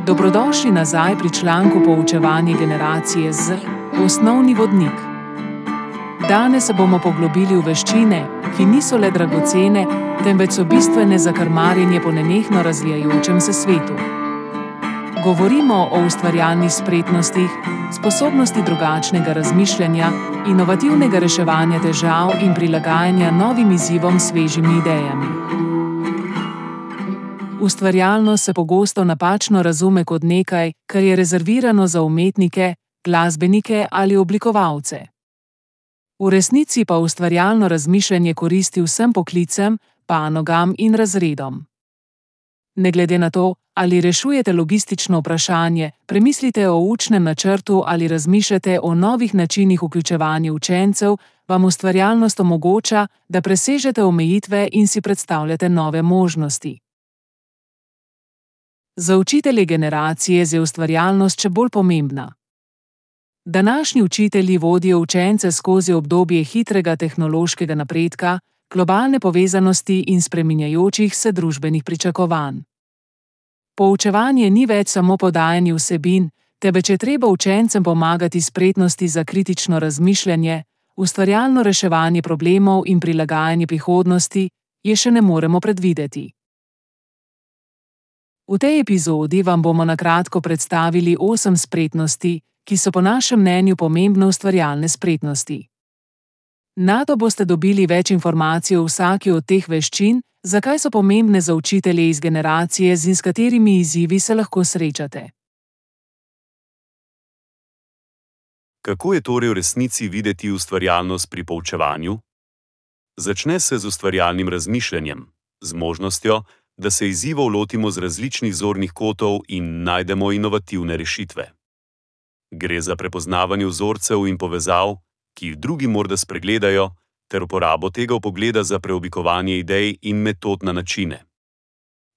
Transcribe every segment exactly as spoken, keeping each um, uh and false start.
Dobrodošli nazaj pri članku Poučevanje generacije Z, osnovni vodnik. Danes se bomo poglobili v veščine, ki niso le dragocene, temveč so bistvene za krmarjenje po nenehno razvijajočem se svetu. Govorimo o ustvarjalnih spretnostih, sposobnosti drugačnega razmišljanja, inovativnega reševanja težav in prilagajanja novim izzivom s svežimi idejami. Ustvarjalnost se pogosto napačno razume kot nekaj, kar je rezervirano za umetnike, glasbenike ali oblikovalce. V resnici pa ustvarjalno razmišljanje koristi vsem poklicem, panogam in razredom. Ne glede na to, ali rešujete logistično vprašanje, premislite o učnem načrtu ali razmišljate o novih načinih vključevanja učencev, vam ustvarjalnost omogoča, da presežete omejitve in si predstavljate nove možnosti. Za učitelje generacije je ustvarjalnost še bolj pomembna. Današnji učitelji vodijo učence skozi obdobje hitrega tehnološkega napredka, globalne povezanosti in spreminjajočih se družbenih pričakovanj. Poučevanje ni več samo podajanje vsebin, temveč je treba učencem pomagati spretnosti za kritično razmišljanje, ustvarjalno reševanje problemov in prilagajanje prihodnosti, je še ne moremo predvideti. V tej epizodi vam bomo na kratko predstavili osem spretnosti, ki so po našem mnenju pomembne ustvarjalne spretnosti. Nato boste dobili več informacij o vsaki od teh veščin, zakaj so pomembne za učitelje iz generacije in s katerimi izzivi se lahko srečate. Kako je torej v resnici videti ustvarjalnost pri poučevanju? Začne se z ustvarjalnim razmišljanjem, z možnostjo, da se izzivov lotimo z različnih zornih kotov in najdemo inovativne rešitve. Gre za prepoznavanje vzorcev in povezav, ki jih drugi morda spregledajo, ter uporabo tega vpogleda za preoblikovanje idej in metod na načine.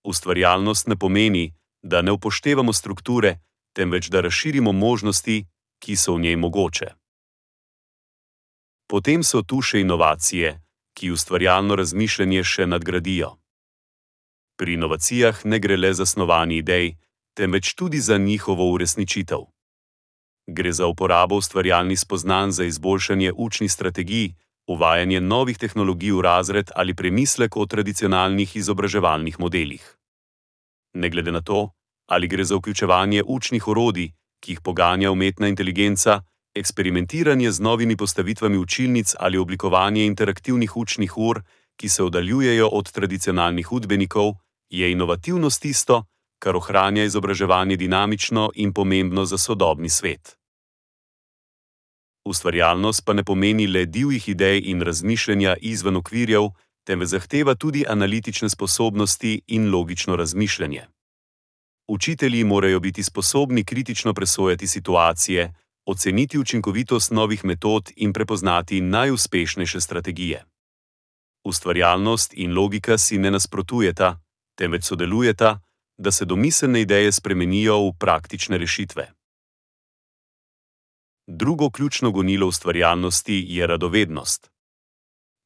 Ustvarjalnost ne pomeni, da ne upoštevamo strukture, temveč da razširimo možnosti, ki so v njej mogoče. Potem so tu še inovacije, ki ustvarjalno razmišljanje še nadgradijo. Pri inovacijah ne gre le za snovanje idej, temveč tudi za njihovo uresničitev. Gre za uporabo ustvarjalnih spoznanj za izboljšanje učnih strategij, uvajanje novih tehnologij v razred ali premislek o tradicionalnih izobraževalnih modelih. Ne glede na to, ali gre za vključevanje učnih orodij, ki jih poganja umetna inteligenca, eksperimentiranje z novimi postavitvami učilnic ali oblikovanje interaktivnih učnih ur, ki se oddaljujejo od tradicionalnih učbenikov, je inovativnost tisto, kar ohranja izobraževanje dinamično in pomembno za sodobni svet. Ustvarjalnost pa ne pomeni le divjih idej in razmišljanja izven okvirjev, temveč zahteva tudi analitične sposobnosti in logično razmišljanje. Učitelji morajo biti sposobni kritično presojati situacije, oceniti učinkovitost novih metod in prepoznati najuspešnejše strategije. Ustvarjalnost in logika si ne nasprotujeta, temveč sodelujeta, da se domiselne ideje spremenijo v praktične rešitve. Drugo ključno gonilo ustvarjalnosti je radovednost.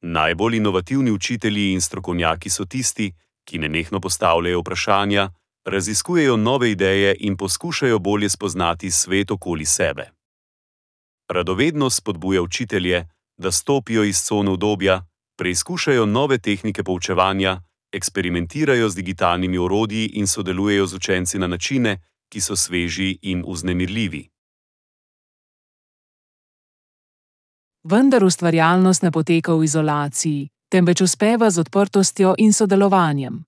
Najbolj inovativni učitelji in strokovnjaki so tisti, ki nenehno postavljajo vprašanja, raziskujejo nove ideje in poskušajo bolje spoznati svet okoli sebe. Radovednost spodbuja učitelje, da stopijo iz cone udobja, preizkušajo nove tehnike poučevanja, eksperimentirajo z digitalnimi orodji in sodelujejo z učenci na načine, ki so sveži in vznemirljivi. Vendar ustvarjalnost ne poteka v izolaciji, temveč uspeva z odprtostjo in sodelovanjem.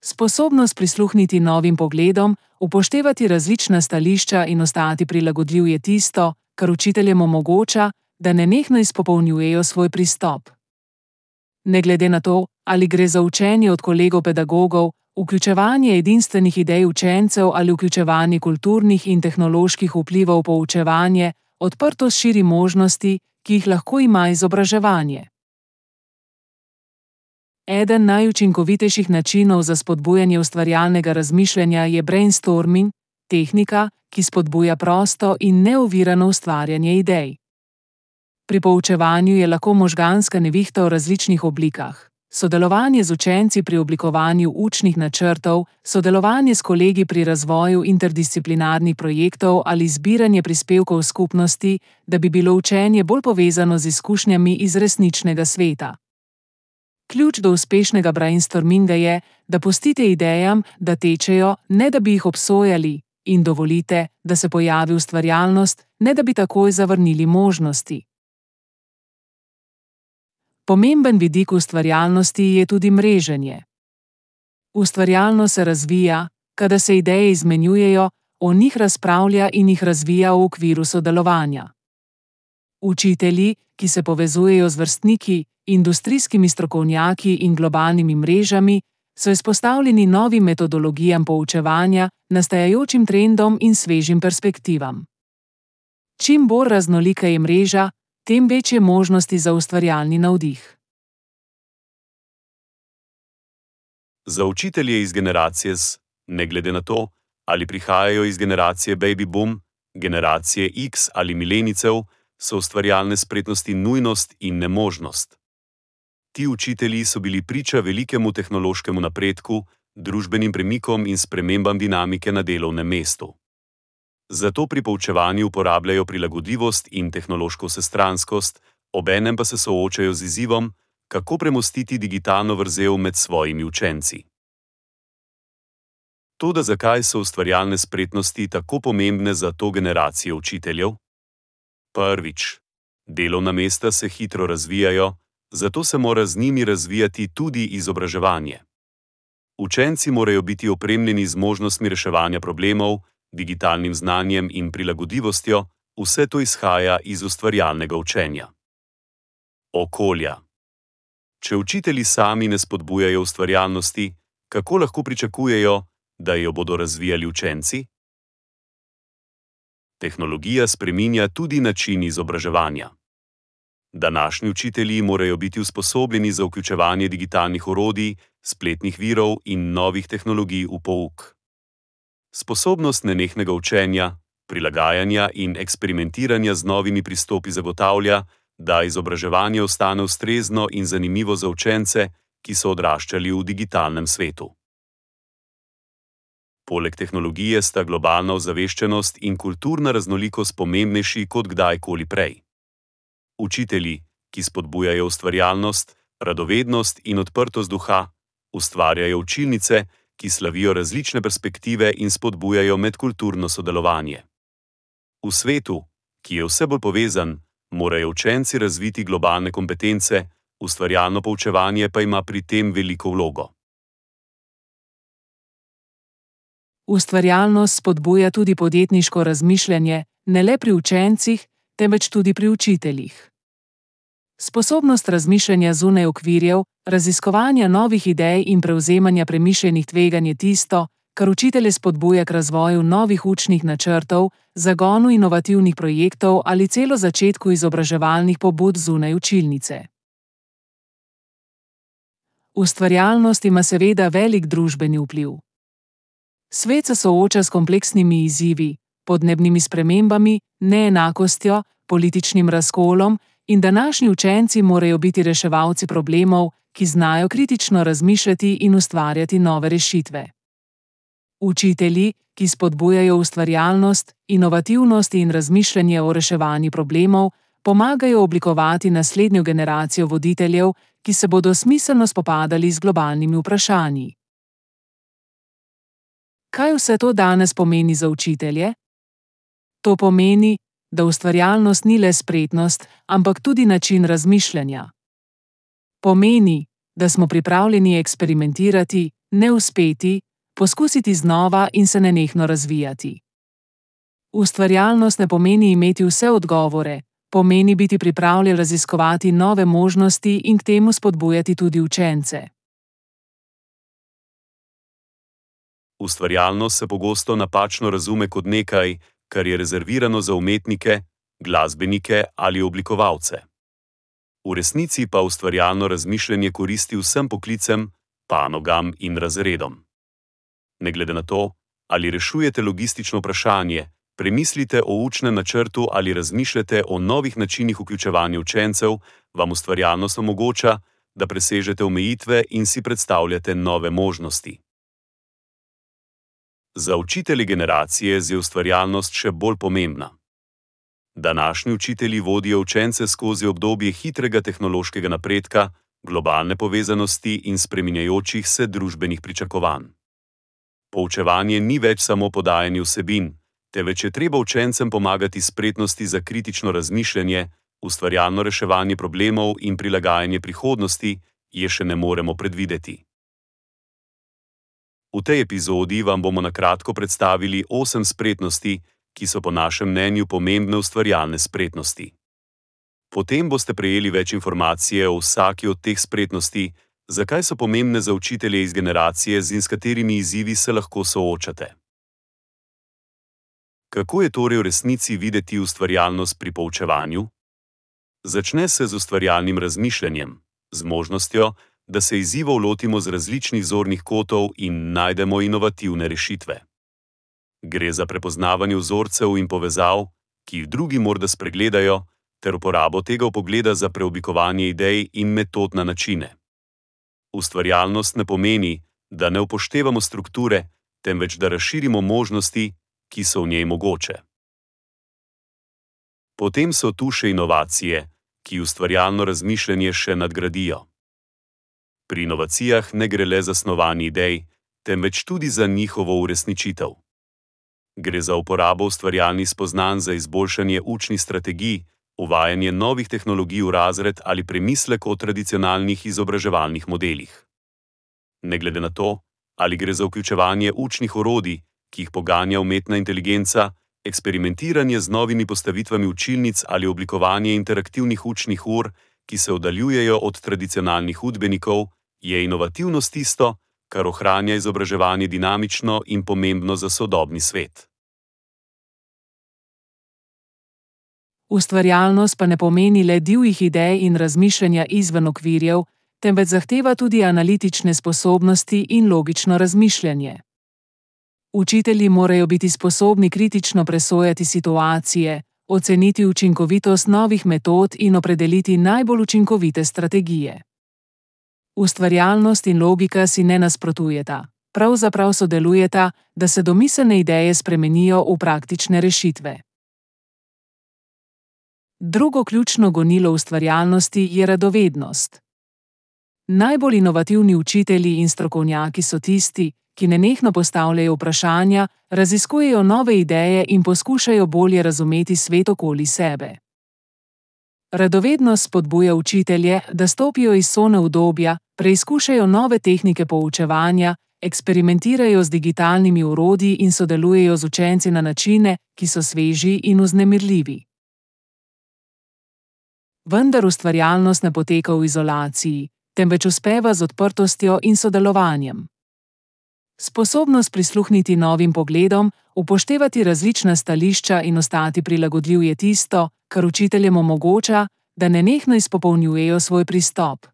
Sposobnost prisluhniti novim pogledom, upoštevati različna stališča in ostati prilagodljiv je tisto, kar učiteljem omogoča, da nenehno izpopolnjujejo svoj pristop. Ne glede na to, ali gre za učenje od kolegov pedagogov, vključevanje edinstvenih idej učencev ali vključevanje kulturnih in tehnoloških vplivov v poučevanje, odprtost širi možnosti, ki jih lahko ima izobraževanje. Eden najučinkovitejših načinov za spodbujanje ustvarjalnega razmišljanja je brainstorming, tehnika, ki spodbuja prosto in neovirano ustvarjanje idej. Pri poučevanju je lahko možganska nevihta v različnih oblikah. Sodelovanje z učenci pri oblikovanju učnih načrtov, sodelovanje s kolegi pri razvoju interdisciplinarnih projektov ali zbiranje prispevkov skupnosti, da bi bilo učenje bolj povezano z izkušnjami iz resničnega sveta. Ključ do uspešnega brainstorminga je, da pustite idejam, da tečejo, ne da bi jih obsojali, in dovolite, da se pojavi ustvarjalnost, ne da bi takoj zavrnili možnosti. Pomemben vidik ustvarjalnosti je tudi mreženje. Ustvarjalnost se razvija, kadar se ideje izmenjujejo, o njih razpravlja in jih razvija v okviru sodelovanja. Učitelji, ki se povezujejo z vrstniki, industrijskimi strokovnjaki in globalnimi mrežami, so izpostavljeni novim metodologijam poučevanja, nastajajočim trendom in svežim perspektivam. Čim bolj raznolika je mreža, tem večje možnosti za ustvarjalni navdih. Za učitelje iz generacije Z, ne glede na to, ali prihajajo iz generacije baby boom, generacije X ali milenijcev, so ustvarjalne spretnosti nujnost in nemožnost. Ti učitelji so bili priča velikemu tehnološkemu napredku, družbenim premikom in spremembam dinamike na delovnem mestu. Zato pri poučevanju uporabljajo prilagodljivost in tehnološko vsestranskost, obenem pa se soočajo z izzivom, kako premostiti digitalno vrzel med svojimi učenci. Toda zakaj so ustvarjalne spretnosti tako pomembne za to generacijo učiteljev? Prvič, delovna mesta se hitro razvijajo, zato se mora z njimi razvijati tudi izobraževanje. Učenci morajo biti opremljeni z možnostmi reševanja problemov, digitalnim znanjem in prilagodljivostjo, vse to izhaja iz ustvarjalnega učenja. Okolja. Če učitelji sami ne spodbujajo ustvarjalnosti, kako lahko pričakujejo, da jo bodo razvijali učenci? Tehnologija spreminja tudi način izobraževanja. Današnji učitelji morajo biti usposobljeni za vključevanje digitalnih orodij, spletnih virov in novih tehnologij v pouk. Sposobnost nenehnega učenja, prilagajanja in eksperimentiranja z novimi pristopi zagotavlja, da izobraževanje ostane ustrezno in zanimivo za učence, ki so odraščali v digitalnem svetu. Poleg tehnologije sta globalna ozaveščenost in kulturna raznolikost pomembnejši kot kdajkoli prej. Učitelji, ki spodbujajo ustvarjalnost, radovednost in odprtost duha, ustvarjajo učilnice, ki slavijo različne perspektive in spodbujajo medkulturno sodelovanje. V svetu, ki je vse bolj povezan, morajo učenci razviti globalne kompetence, ustvarjalno poučevanje pa ima pri tem veliko vlogo. Ustvarjalnost spodbuja tudi podjetniško razmišljanje, ne le pri učencih, temveč tudi pri učiteljih. Sposobnost razmišljanja zunaj okvirjev, raziskovanja novih idej in prevzemanja premišljenih tveganj je tisto, kar učitelje spodbuja k razvoju novih učnih načrtov, zagonu inovativnih projektov ali celo začetku izobraževalnih pobud zunaj učilnice. Ustvarjalnost ima seveda velik družbeni vpliv. Svet se sooča s kompleksnimi izzivi, podnebnimi spremembami, neenakostjo, političnim razkolom in današnji učenci morajo biti reševalci problemov, ki znajo kritično razmišljati in ustvarjati nove rešitve. Učitelji, ki spodbujajo ustvarjalnost, inovativnost in razmišljanje o reševanju problemov, pomagajo oblikovati naslednjo generacijo voditeljev, ki se bodo smiselno spopadali z globalnimi vprašanji. Kaj vse to danes pomeni za učitelje? To pomeni, da ustvarjalnost ni le spretnost, ampak tudi način razmišljanja. Pomeni, da smo pripravljeni eksperimentirati, ne uspeti, poskusiti znova in se nenehno razvijati. Ustvarjalnost ne pomeni imeti vse odgovore, pomeni biti pripravljen raziskovati nove možnosti in k temu spodbujati tudi učence. Ustvarjalnost se pogosto napačno razume kot nekaj, kar je rezervirano za umetnike, glasbenike ali oblikovalce. V resnici pa ustvarjalno razmišljanje koristi vsem poklicem, panogam in razredom. Ne glede na to, ali rešujete logistično vprašanje, premislite o učnem načrtu ali razmišljate o novih načinih vključevanja učencev, vam ustvarjalnost omogoča, da presežete omejitve in si predstavljate nove možnosti. Za učitelje generacije je ustvarjalnost še bolj pomembna. Današnji učitelji vodijo učence skozi obdobje hitrega tehnološkega napredka, globalne povezanosti in spreminjajočih se družbenih pričakovanj. Poučevanje ni več samo podajanje vsebin, temveč je treba učencem pomagati spretnosti za kritično razmišljanje, ustvarjalno reševanje problemov in prilagajanje prihodnosti, je še ne moremo predvideti. V tej epizodi vam bomo na kratko predstavili osem spretnosti, ki so po našem mnenju pomembne ustvarjalne spretnosti. Potem boste prejeli več informacije o vsaki od teh spretnosti, zakaj so pomembne za učitelje iz generacije in s katerimi izzivi se lahko soočate. Kako je torej v resnici videti ustvarjalnost pri poučevanju? Začne se z ustvarjalnim razmišljanjem, z možnostjo, da se izzivov lotimo z različnih zornih kotov in najdemo inovativne rešitve. Gre za prepoznavanje vzorcev in povezav, ki jih drugi morda spregledajo, ter uporabo tega vpogleda za preoblikovanje idej in metod na načine. Ustvarjalnost ne pomeni, da ne upoštevamo strukture, temveč da razširimo možnosti, ki so v njej mogoče. Potem so tu še inovacije, ki ustvarjalno razmišljanje še nadgradijo. Pri inovacijah ne gre le za snovanje idej, temveč tudi za njihovo uresničitev. Gre za uporabo ustvarjalnih spoznanj za izboljšanje učnih strategij, uvajanje novih tehnologij v razred ali premislek o tradicionalnih izobraževalnih modelih. Ne glede na to, ali gre za vključevanje učnih orodij, ki jih poganja umetna inteligenca, eksperimentiranje z novimi postavitvami učilnic ali oblikovanje interaktivnih učnih ur, ki se oddaljujejo od tradicionalnih učbenikov, je inovativnost tisto, kar ohranja izobraževanje dinamično in pomembno za sodobni svet. Ustvarjalnost pa ne pomeni le divjih idej in razmišljanja izven okvirjev, temveč zahteva tudi analitične sposobnosti in logično razmišljanje. Učitelji morajo biti sposobni kritično presojati situacije, oceniti učinkovitost novih metod in opredeliti najbolj učinkovite strategije. Ustvarjalnost in logika si ne nasprotujeta, pravzaprav sodelujeta, da se domiselne ideje spremenijo v praktične rešitve. Drugo ključno gonilo ustvarjalnosti je radovednost. Najbolj inovativni učitelji in strokovnjaki so tisti, ki nenehno postavljajo vprašanja, raziskujejo nove ideje in poskušajo bolje razumeti svet okoli sebe. Radovednost spodbuja učitelje, da stopijo iz cone udobja, preizkušajo nove tehnike poučevanja, eksperimentirajo z digitalnimi orodji in sodelujejo z učenci na načine, ki so sveži in vznemirljivi. Vendar ustvarjalnost ne poteka v izolaciji, temveč uspeva z odprtostjo in sodelovanjem. Sposobnost prisluhniti novim pogledom, upoštevati različna stališča in ostati prilagodljiv je tisto, kar učiteljem omogoča, da nenehno izpopolnjujejo svoj pristop.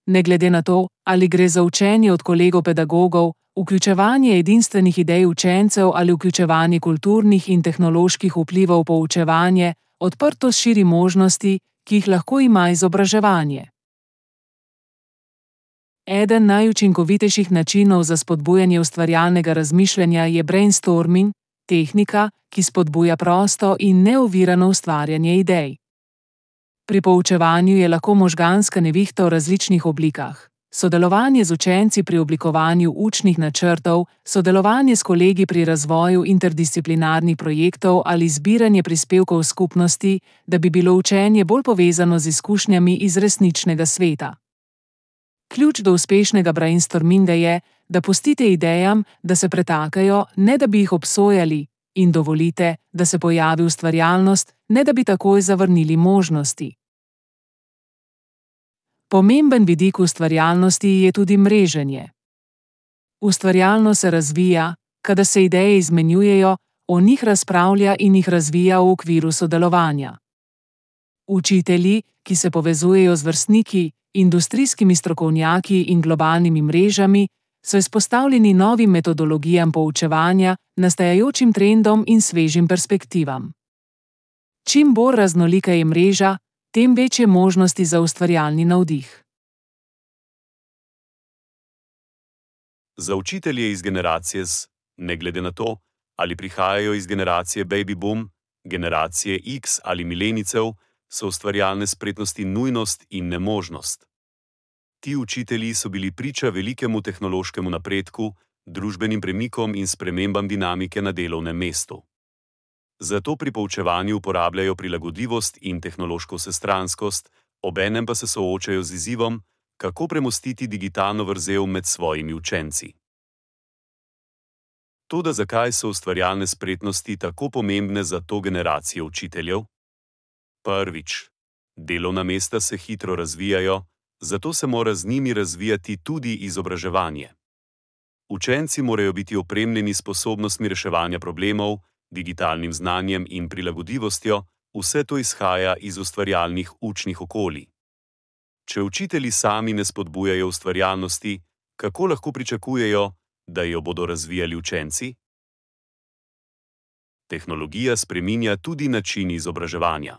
Ne glede na to, ali gre za učenje od kolegov pedagogov, vključevanje edinstvenih idej učencev ali vključevanje kulturnih in tehnoloških vplivov v poučevanje, odprtost širi možnosti, ki jih lahko ima izobraževanje. Eden najučinkovitejših načinov za spodbujanje ustvarjalnega razmišljanja je brainstorming, tehnika, ki spodbuja prosto in neovirano ustvarjanje idej. Pri poučevanju je lahko možganska nevihta v različnih oblikah. Sodelovanje z učenci pri oblikovanju učnih načrtov, sodelovanje s kolegi pri razvoju interdisciplinarnih projektov ali zbiranje prispevkov skupnosti, da bi bilo učenje bolj povezano z izkušnjami iz resničnega sveta. Ključ do uspešnega brainstorminga je, da pustite idejam, da se pretakajo, ne da bi jih obsojali, in dovolite, da se pojavi ustvarjalnost, ne da bi takoj zavrnili možnosti. Pomemben vidik ustvarjalnosti je tudi mreženje. Ustvarjalnost se razvija, kadar se ideje izmenjujejo, o njih razpravlja in jih razvija v okviru sodelovanja. Učitelji, ki se povezujejo z vrstniki, industrijskimi strokovnjaki in globalnimi mrežami, so izpostavljeni novim metodologijam poučevanja, nastajajočim trendom in svežim perspektivam. Čim bolj raznolika je mreža, tem večje možnosti za ustvarjalni navdih. Za učitelje iz generacije Z, ne glede na to, ali prihajajo iz generacije baby boom, generacije X ali milenijcev, so ustvarjalne spretnosti nujnost in nemožnost. Ti učitelji so bili priča velikemu tehnološkemu napredku, družbenim premikom in spremembam dinamike na delovnem mestu. Zato pri poučevanju uporabljajo prilagodljivost in tehnološko vsestranskost, obenem pa se soočajo z izzivom, kako premostiti digitalno vrzel med svojimi učenci. Toda zakaj so ustvarjalne spretnosti tako pomembne za to generacijo učiteljev? Prvič, delovna mesta se hitro razvijajo, zato se mora z njimi razvijati tudi izobraževanje. Učenci morajo biti opremljeni s sposobnostmi reševanja problemov, digitalnim znanjem in prilagodljivostjo, vse to izhaja iz ustvarjalnih učnih okolij. Če učitelji sami ne spodbujajo ustvarjalnosti, kako lahko pričakujejo, da jo bodo razvijali učenci? Tehnologija spreminja tudi način izobraževanja.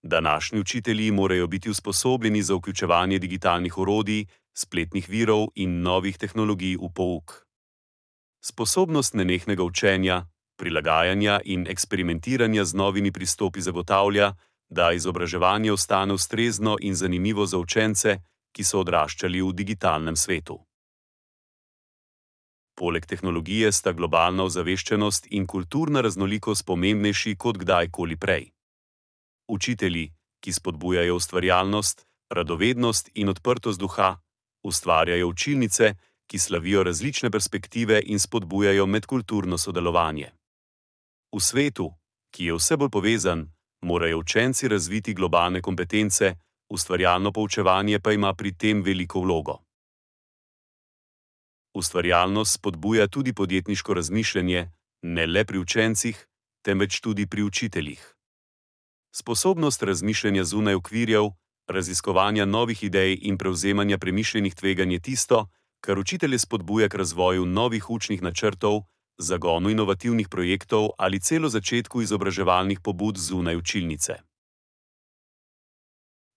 Današnji učitelji morajo biti usposobljeni za vključevanje digitalnih orodij, spletnih virov in novih tehnologij v pouk. Sposobnost nenehnega učenja, prilagajanja in eksperimentiranja z novimi pristopi zagotavlja, da izobraževanje ostane ustrezno in zanimivo za učence, ki so odraščali v digitalnem svetu. Poleg tehnologije sta globalna ozaveščenost in kulturna raznolikost pomembnejši kot kdajkoli prej. Učitelji, ki spodbujajo ustvarjalnost, radovednost in odprtost duha, ustvarjajo učilnice, ki slavijo različne perspektive in spodbujajo medkulturno sodelovanje. V svetu, ki je vse bolj povezan, morajo učenci razviti globalne kompetence, ustvarjalno poučevanje pa ima pri tem veliko vlogo. Ustvarjalnost spodbuja tudi podjetniško razmišljanje, ne le pri učencih, temveč tudi pri učiteljih. Sposobnost razmišljanja zunaj okvirjev, raziskovanja novih idej in prevzemanja premišljenih tveganj je tisto, kar učitelje spodbuja k razvoju novih učnih načrtov, zagonu inovativnih projektov ali celo začetku izobraževalnih pobud zunaj učilnice.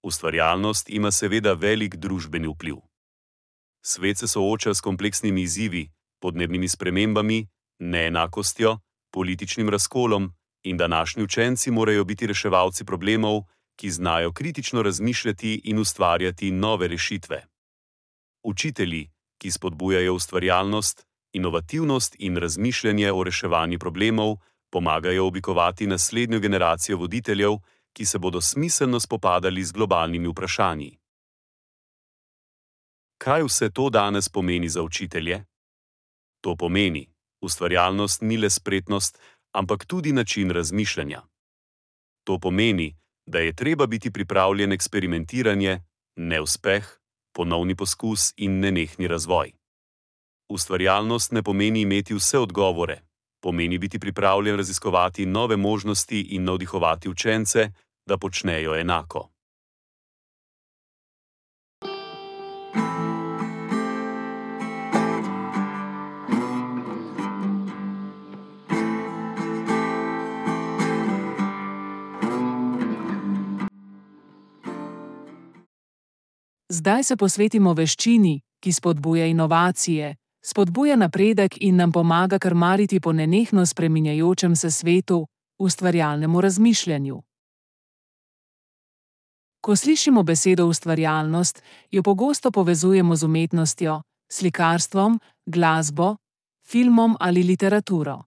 Ustvarjalnost ima seveda velik družbeni vpliv. Svet se sooča s kompleksnimi izzivi, podnebnimi spremembami, neenakostjo, političnim razkolom in današnji učenci morajo biti reševalci problemov, ki znajo kritično razmišljati in ustvarjati nove rešitve. Učitelji, ki spodbujajo ustvarjalnost, inovativnost in razmišljanje o reševanju problemov, pomagajo oblikovati naslednjo generacijo voditeljev, ki se bodo smiselno spopadali z globalnimi vprašanji. Kaj vse to danes pomeni za učitelje? To pomeni, ustvarjalnost ni le spretnost, ampak tudi način razmišljanja. To pomeni, da je treba biti pripravljen eksperimentiranje, neuspeh, ponovni poskus in nenehni razvoj. Ustvarjalnost ne pomeni imeti vse odgovore, pomeni biti pripravljen raziskovati nove možnosti in navdihovati učence, da počnejo enako. Zdaj se posvetimo veščini, ki spodbuja inovacije, spodbuja napredek in nam pomaga krmariti po nenehno spreminjajočem se svetu, ustvarjalnemu razmišljanju. Ko slišimo besedo ustvarjalnost, jo pogosto povezujemo z umetnostjo, slikarstvom, glasbo, filmom ali literaturo.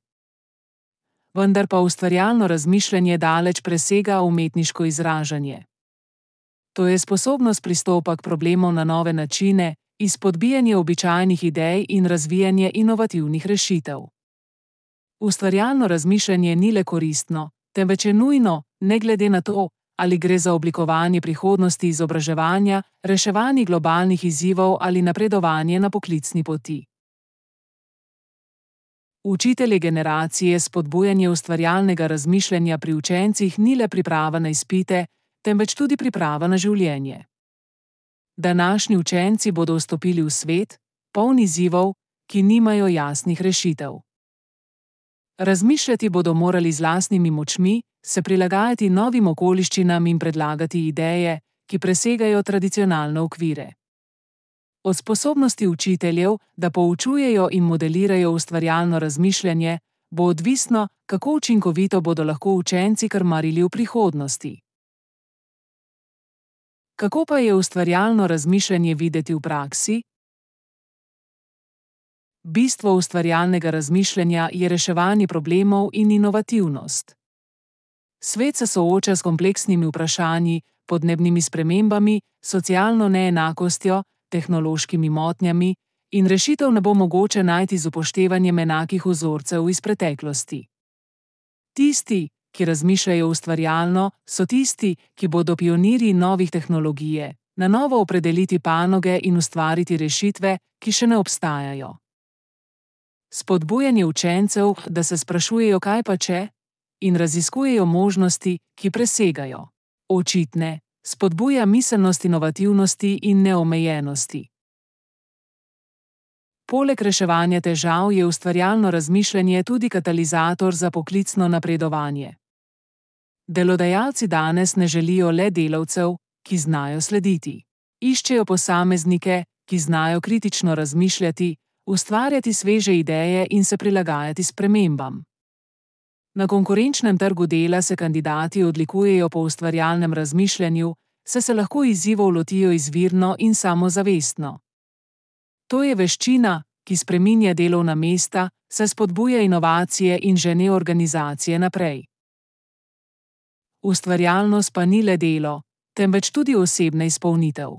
Vendar pa ustvarjalno razmišljanje daleč presega umetniško izražanje. To je sposobnost pristopa k problemov na nove načine, izpodbijanje običajnih idej in razvijanje inovativnih rešitev. Ustvarjalno razmišljanje ni le koristno, temveč je nujno, ne glede na to, ali gre za oblikovanje prihodnosti izobraževanja, reševanje globalnih izzivov ali napredovanje na poklicni poti. Učitelje generacije spodbujanje ustvarjalnega razmišljanja pri učencih ni le priprava na izpite, temveč tudi priprava na življenje. Današnji učenci bodo vstopili v svet, poln izzivov, ki nimajo jasnih rešitev. Razmišljati bodo morali z lastnimi močmi, se prilagajati novim okoliščinam in predlagati ideje, ki presegajo tradicionalne okvire. Od sposobnosti učiteljev, da poučujejo in modelirajo ustvarjalno razmišljanje, bo odvisno, kako učinkovito bodo lahko učenci krmarili v prihodnosti. Kako pa je ustvarjalno razmišljanje videti v praksi? Bistvo ustvarjalnega razmišljanja je reševanje problemov in inovativnost. Svet se sooča s kompleksnimi vprašanji, podnebnimi spremembami, socialno neenakostjo, tehnološkimi motnjami in rešitev ne bo mogoče najti z upoštevanjem enakih vzorcev iz preteklosti. Tisti, ki razmišljajo ustvarjalno, so tisti, ki bodo pionirji novih tehnologije, na novo opredeliti panoge in ustvariti rešitve, ki še ne obstajajo. Spodbujanje učencev, da se sprašujejo, kaj pa če, in raziskujejo možnosti, ki presegajo očitne, spodbuja miselnost inovativnosti in neomejenosti. Poleg reševanja težav je ustvarjalno razmišljanje tudi katalizator za poklicno napredovanje. Delodajalci danes ne želijo le delavcev, ki znajo slediti. Iščejo posameznike, ki znajo kritično razmišljati, ustvarjati sveže ideje in se prilagajati spremembam. Na konkurenčnem trgu dela se kandidati odlikujejo po ustvarjalnem razmišljanju, saj se lahko izzivov lotijo izvirno in samozavestno. To je veščina, ki spreminja delovna mesta, saj spodbuja inovacije in žene organizacije naprej. Ustvarjalnost pa ni le delo, temveč tudi osebna izpolnitev.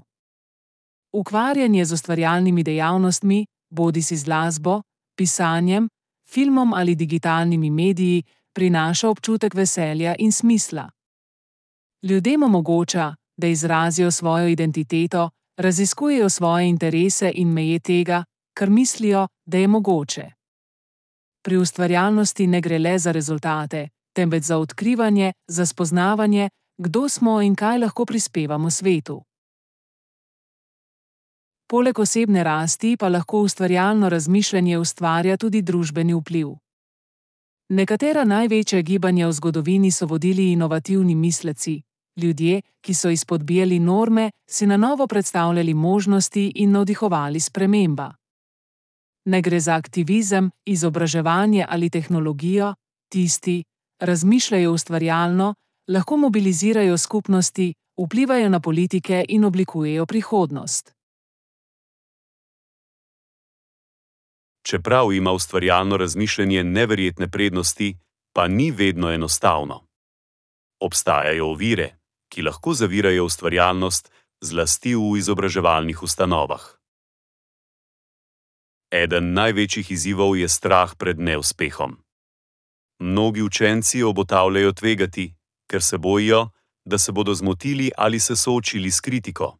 Ukvarjanje z ustvarjalnimi dejavnostmi, bodisi z glasbo, pisanjem, filmom ali digitalnimi mediji, prinaša občutek veselja in smisla. Ljudem omogoča, da izrazijo svojo identiteto, raziskujejo svoje interese in meje tega, kar mislijo, da je mogoče. Pri ustvarjalnosti ne gre le za rezultate, temveč za odkrivanje, za spoznavanje, kdo smo in kaj lahko prispevamo svetu. Poleg osebne rasti pa lahko ustvarjalno razmišljanje ustvarja tudi družbeni vpliv. Nekatera največja gibanja v zgodovini so vodili inovativni misleci, ljudje, ki so izpodbijali norme, si na novo predstavljali možnosti in navdihovali sprememba. Ne gre za aktivizem, izobraževanje ali tehnologijo, tisti, razmišljajo ustvarjalno, lahko mobilizirajo skupnosti, vplivajo na politike in oblikujejo prihodnost. Čeprav ima ustvarjalno razmišljanje neverjetne prednosti, pa ni vedno enostavno. Obstajajo ovire, ki lahko zavirajo ustvarjalnost, zlasti v izobraževalnih ustanovah. Eden največjih izzivov je strah pred neuspehom. Mnogi učenci obotavljajo tvegati, ker se bojijo, da se bodo zmotili ali se soočili s kritiko.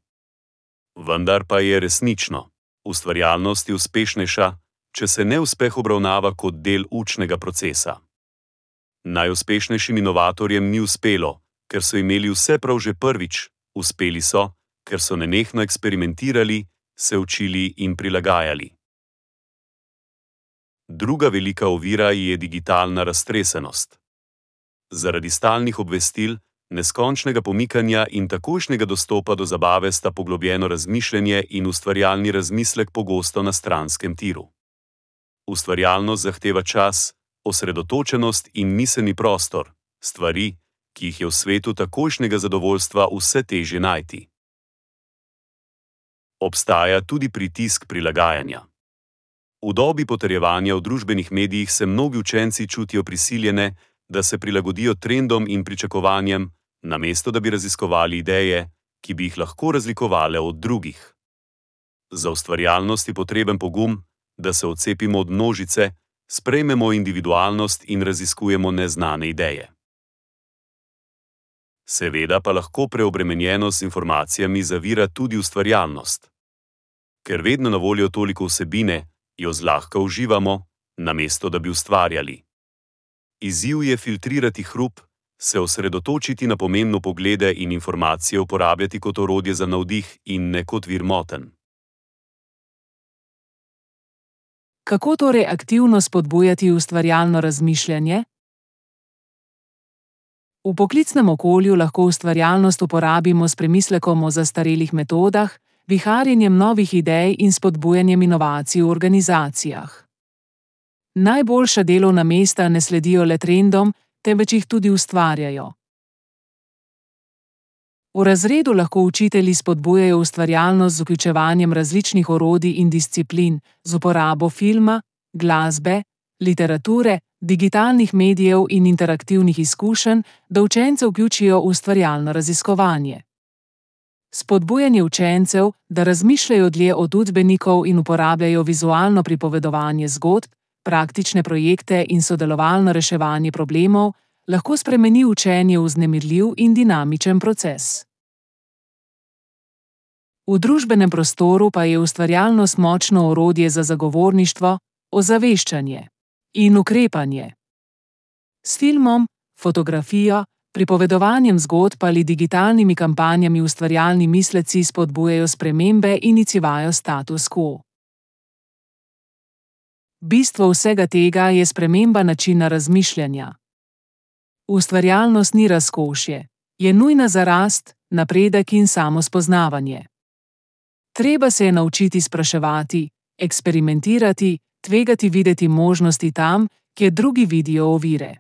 Vendar pa je resnično, ustvarjalnost je uspešnejša, če se neuspeh obravnava kot del učnega procesa. Najuspešnejšim inovatorjem ni uspelo, ker so imeli vse prav že prvič, uspeli so, ker so nenehno eksperimentirali, se učili in prilagajali. Druga velika ovira je digitalna raztresenost. Zaradi stalnih obvestil, neskončnega pomikanja in takojšnjega dostopa do zabave sta poglobljeno razmišljanje in ustvarjalni razmislek pogosto na stranskem tiru. Ustvarjalnost zahteva čas, osredotočenost in miselni prostor, stvari, ki jih je v svetu takojšnjega zadovoljstva vse težje najti. Obstaja tudi pritisk prilagajanja. V dobi potrjevanja v družbenih medijih se mnogi učenci čutijo prisiljene, da se prilagodijo trendom in pričakovanjem, namesto da bi raziskovali ideje, ki bi jih lahko razlikovale od drugih. Za ustvarjalnost je potreben pogum, da se odcepimo od množice, sprejmemo individualnost in raziskujemo neznane ideje. Seveda pa lahko preobremenjenost z informacijami zavira tudi ustvarjalnost. Ker vedno na voljo toliko vsebine, jo zlahka uživamo, namesto da bi ustvarjali. Izziv je filtrirati hrup, se osredotočiti na pomembne poglede in informacije uporabljati kot orodje za navdih in ne kot vir motenj. Kako torej aktivno spodbujati ustvarjalno razmišljanje? V poklicnem okolju lahko ustvarjalnost uporabimo s premislekom o zastarelih metodah, viharjenjem novih idej in spodbujanjem inovacij v organizacijah. Najboljša delovna mesta ne sledijo le trendom, temveč jih tudi ustvarjajo. V razredu lahko učitelji spodbujajo ustvarjalnost z vključevanjem različnih orodij in disciplin, z uporabo filma, glasbe, literature, digitalnih medijev in interaktivnih izkušenj, da učence vključijo v ustvarjalno raziskovanje. Spodbujanje učencev, da razmišljajo dlje od učbenikov in uporabljajo vizualno pripovedovanje zgodb, praktične projekte in sodelovalno reševanje problemov, lahko spremeni učenje v vznemirljiv in dinamičen proces. V družbenem prostoru pa je ustvarjalnost močno orodje za zagovorništvo, ozaveščanje in ukrepanje. S filmom, fotografijo, pripovedovanjem zgodb ali digitalnimi kampanjami ustvarjalni misleci spodbujajo spremembe in izzivajo status quo. Bistvo vsega tega je sprememba načina razmišljanja. Ustvarjalnost ni razkošje, je nujna za rast, napredek in samospoznavanje. Treba se je naučiti spraševati, eksperimentirati, tvegati videti možnosti tam, kjer drugi vidijo ovire.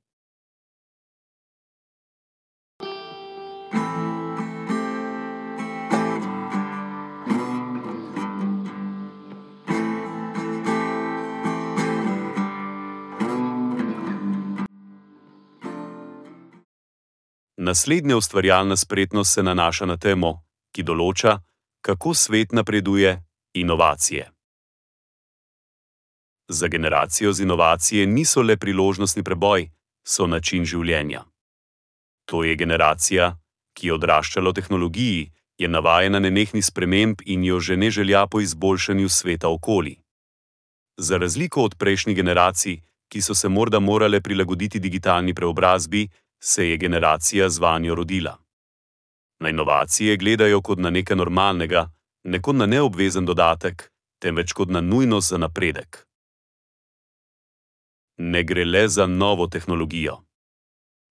Naslednja ustvarjalna spretnost se nanaša na temo, ki določa, kako svet napreduje, inovacije. Za generacijo z inovacije niso le priložnostni preboj, so način življenja. To je generacija, ki je odraščala v tehnologiji, je navajena nenehnih sprememb in jo že ne želja po izboljšanju sveta okoli. Za razliko od prejšnjih generacij, ki so se morda morale prilagoditi digitalni preobrazbi, se je generacija z vanjo rodila. Na inovacije gledajo kot na nekaj normalnega, ne kot na neobvezen dodatek, temveč kot na nujnost za napredek. Ne gre le za novo tehnologijo.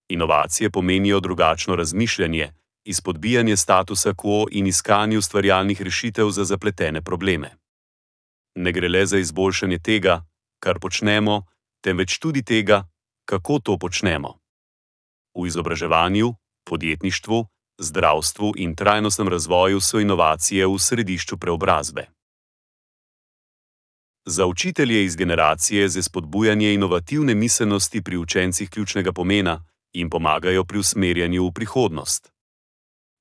Inovacije pomenijo drugačno razmišljanje, izpodbijanje statusa quo in iskanje ustvarjalnih rešitev za zapletene probleme. Ne gre le za izboljšanje tega, kar počnemo, temveč tudi tega, kako to počnemo. V izobraževanju, podjetništvu, zdravstvu in trajnostnem razvoju so inovacije v središču preobrazbe. Za učitelje iz generacije je spodbujanje inovativne miselnosti pri učencih ključnega pomena in pomagajo pri usmerjanju v prihodnost.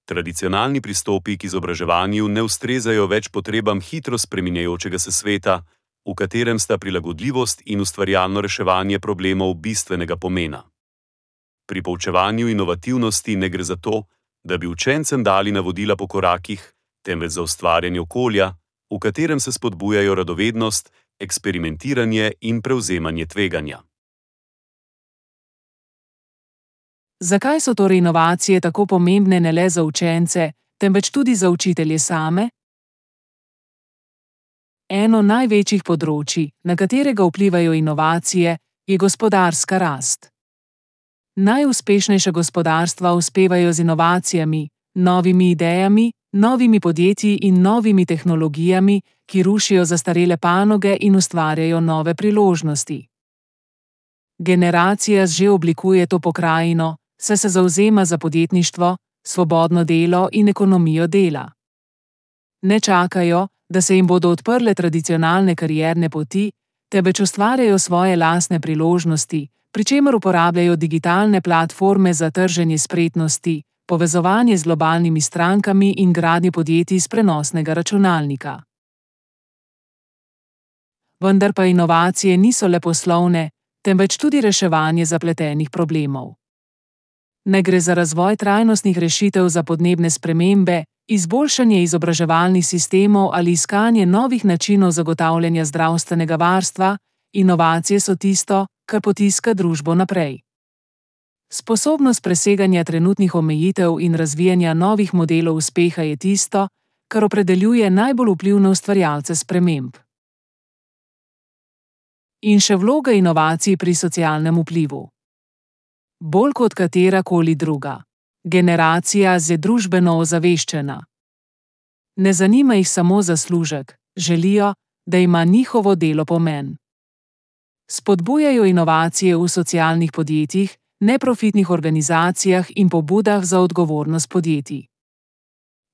Tradicionalni pristopi k izobraževanju ne ustrezajo več potrebam hitro spreminjajočega se sveta, v katerem sta prilagodljivost in ustvarjalno reševanje problemov bistvenega pomena. Pri poučevanju inovativnosti ne gre za to, da bi učencem dali navodila po korakih, temveč za ustvarjanje okolja, v katerem se spodbujajo radovednost, eksperimentiranje in prevzemanje tveganja. Zakaj so torej inovacije tako pomembne ne le za učence, temveč tudi za učitelje same? Eno največjih področij, na katerega vplivajo inovacije, je gospodarska rast. Najuspešnejša gospodarstva uspevajo z inovacijami, novimi idejami, novimi podjetji in novimi tehnologijami, ki rušijo zastarele panoge in ustvarjajo nove priložnosti. Generacija že oblikuje to pokrajino, saj se zavzema za podjetništvo, svobodno delo in ekonomijo dela. Ne čakajo, da se jim bodo odprle tradicionalne karierne poti, temveč ustvarjajo svoje lastne priložnosti, pri čemer uporabljajo digitalne platforme za trženje spretnosti, povezovanje z globalnimi strankami in gradnje podjetij s prenosnega računalnika. Vendar pa inovacije niso le poslovne, temveč tudi reševanje zapletenih problemov. Ne gre za razvoj trajnostnih rešitev za podnebne spremembe, izboljšanje izobraževalnih sistemov ali iskanje novih načinov zagotavljanja zdravstvenega varstva, inovacije so tisto, kar potiska družbo naprej. Sposobnost preseganja trenutnih omejitev in razvijanja novih modelov uspeha je tisto, kar opredeljuje najbolj vplivne ustvarjalce sprememb. In še vloga inovacij pri socialnem vplivu. Bolj kot katerakoli druga, generacija je družbeno ozaveščena. Ne zanima jih samo zaslužek, želijo, da ima njihovo delo pomen. Spodbujajo inovacije v socialnih podjetjih, neprofitnih organizacijah in pobudah za odgovornost podjetij.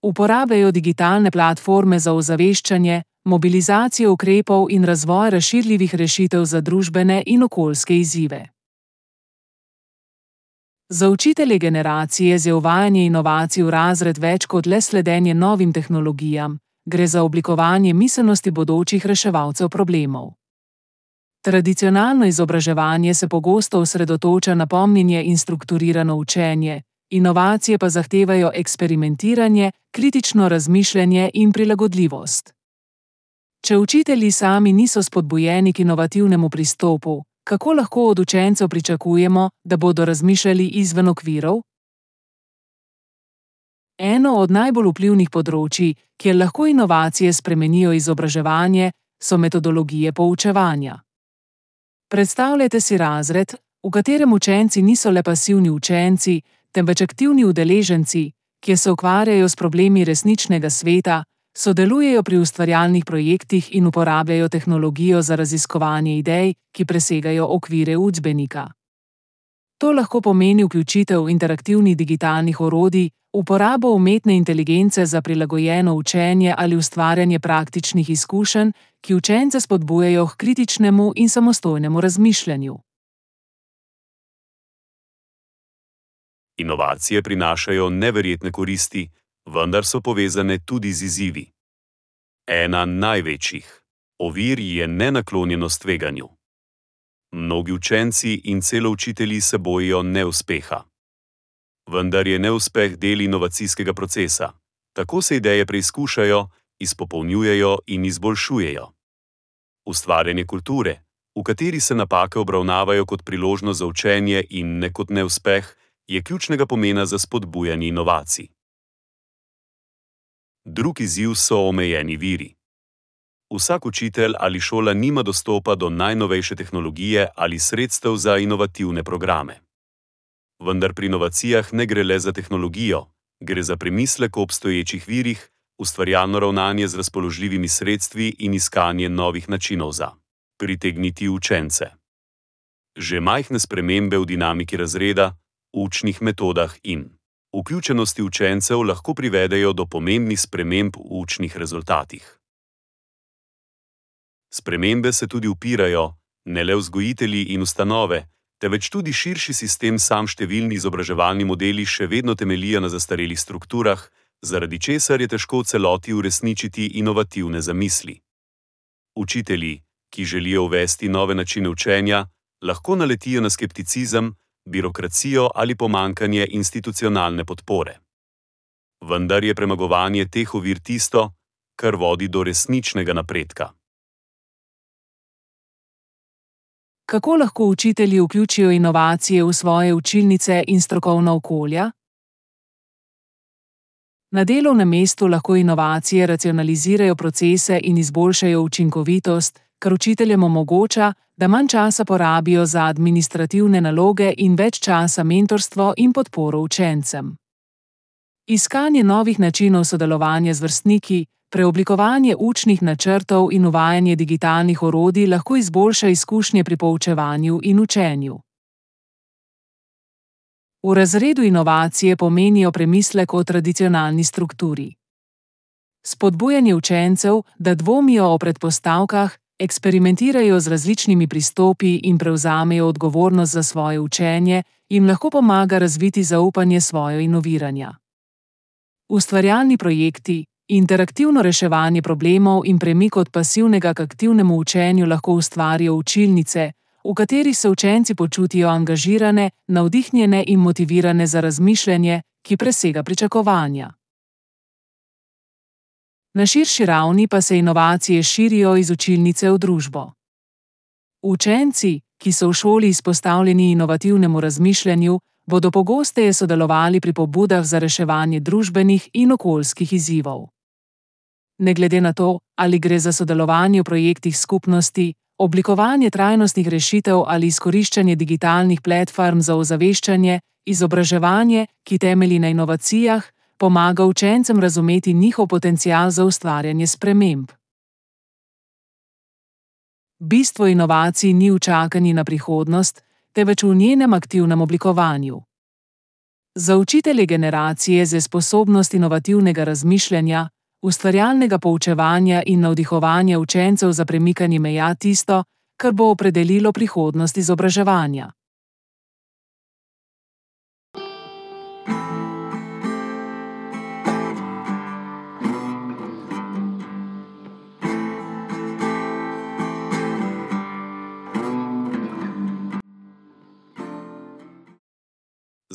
Uporabljajo digitalne platforme za ozaveščanje, mobilizacijo ukrepov in razvoj razširljivih rešitev za družbene in okoljske izzive. Za učitelje generacije je uvajanje inovacij v razred več kot le sledenje novim tehnologijam, gre za oblikovanje miselnosti bodočih reševalcev problemov. Tradicionalno izobraževanje se pogosto osredotoča na pomnjenje in strukturirano učenje, inovacije pa zahtevajo eksperimentiranje, kritično razmišljanje in prilagodljivost. Če učitelji sami niso spodbujeni k inovativnemu pristopu, kako lahko od učencev pričakujemo, da bodo razmišljali izven okvirov? Eno od najbolj vplivnih področij, kjer lahko inovacije spremenijo izobraževanje, so metodologije poučevanja. Predstavljajte si razred, v katerem učenci niso le pasivni učenci, temveč aktivni udeleženci, ki se ukvarjajo s problemi resničnega sveta, sodelujejo pri ustvarjalnih projektih in uporabljajo tehnologijo za raziskovanje idej, ki presegajo okvire učbenika. To lahko pomeni vključitev interaktivnih digitalnih orodij, uporabo umetne inteligence za prilagojeno učenje ali ustvarjanje praktičnih izkušenj, ki učence spodbujajo k kritičnemu in samostojnemu razmišljanju. Inovacije prinašajo neverjetne koristi, vendar so povezane tudi z izzivi. Ena največjih ovir je nenaklonjenost tveganju. Mnogi učenci in celo učitelji se bojijo neuspeha. Vendar je neuspeh del inovacijskega procesa. Tako se ideje preizkušajo, izpopolnjujejo in izboljšujejo. Ustvarjanje kulture, v kateri se napake obravnavajo kot priložnost za učenje in ne kot neuspeh, je ključnega pomena za spodbujanje inovacij. Drugi izziv so omejeni viri. Vsak učitelj ali šola nima dostopa do najnovejše tehnologije ali sredstev za inovativne programe. Vendar pri inovacijah ne gre le za tehnologijo, gre za premislek o obstoječih virih, ustvarjalno ravnanje z razpoložljivimi sredstvi in iskanje novih načinov za pritegniti učence. Že majhne spremembe v dinamiki razreda, učnih metodah in vključenosti učencev lahko privedejo do pomembnih sprememb v učnih rezultatih. Spremembe se tudi upirajo, ne le vzgojitelji in ustanove, temveč tudi širši sistem. Sam številni izobraževalni modeli še vedno temeljijo na zastarelih strukturah, zaradi česar je težko v celoti uresničiti inovativne zamisli. Učitelji, ki želijo uvesti nove načine učenja, lahko naletijo na skepticizem, birokracijo ali pomanjkanje institucionalne podpore. Vendar je premagovanje teh ovir tisto, kar vodi do resničnega napredka. Kako lahko učitelji vključijo inovacije v svoje učilnice in strokovna okolja? Na delovnem mestu lahko inovacije racionalizirajo procese in izboljšajo učinkovitost, kar učiteljem omogoča, da manj časa porabijo za administrativne naloge in več časa mentorstvo in podporo učencem. Iskanje novih načinov sodelovanja z vrstniki, preoblikovanje učnih načrtov in uvajanje digitalnih orodij lahko izboljša izkušnje pri poučevanju in učenju. V razredu inovacije pomenijo premislek o tradicionalni strukturi. Spodbujanje učencev, da dvomijo o predpostavkah, eksperimentirajo z različnimi pristopi in prevzamejo odgovornost za svoje učenje, jim lahko pomaga razviti zaupanje svoje inoviranja. Ustvarjalni projekti, interaktivno reševanje problemov in premik od pasivnega k aktivnemu učenju lahko ustvarijo učilnice, v katerih se učenci počutijo angažirane, navdihnjene in motivirane za razmišljanje, ki presega pričakovanja. Na širši ravni pa se inovacije širijo iz učilnice v družbo. Učenci, ki so v šoli izpostavljeni inovativnemu razmišljanju, bodo pogosteje sodelovali pri pobudah za reševanje družbenih in okoljskih izzivov. Ne glede na to, ali gre za sodelovanje v projektih skupnosti, oblikovanje trajnostnih rešitev ali izkoriščanje digitalnih platform za ozaveščanje, izobraževanje, ki temelji na inovacijah, pomaga učencem razumeti njihov potencial za ustvarjanje sprememb. Bistvo inovacij ni v čakanju na prihodnost, temveč v njenem aktivnem oblikovanju. Za učitelje generacije z sposobnost inovativnega razmišljanja, ustvarjalnega poučevanja in navdihovanja učencev za premikanje meja tisto, kar bo opredelilo prihodnost izobraževanja.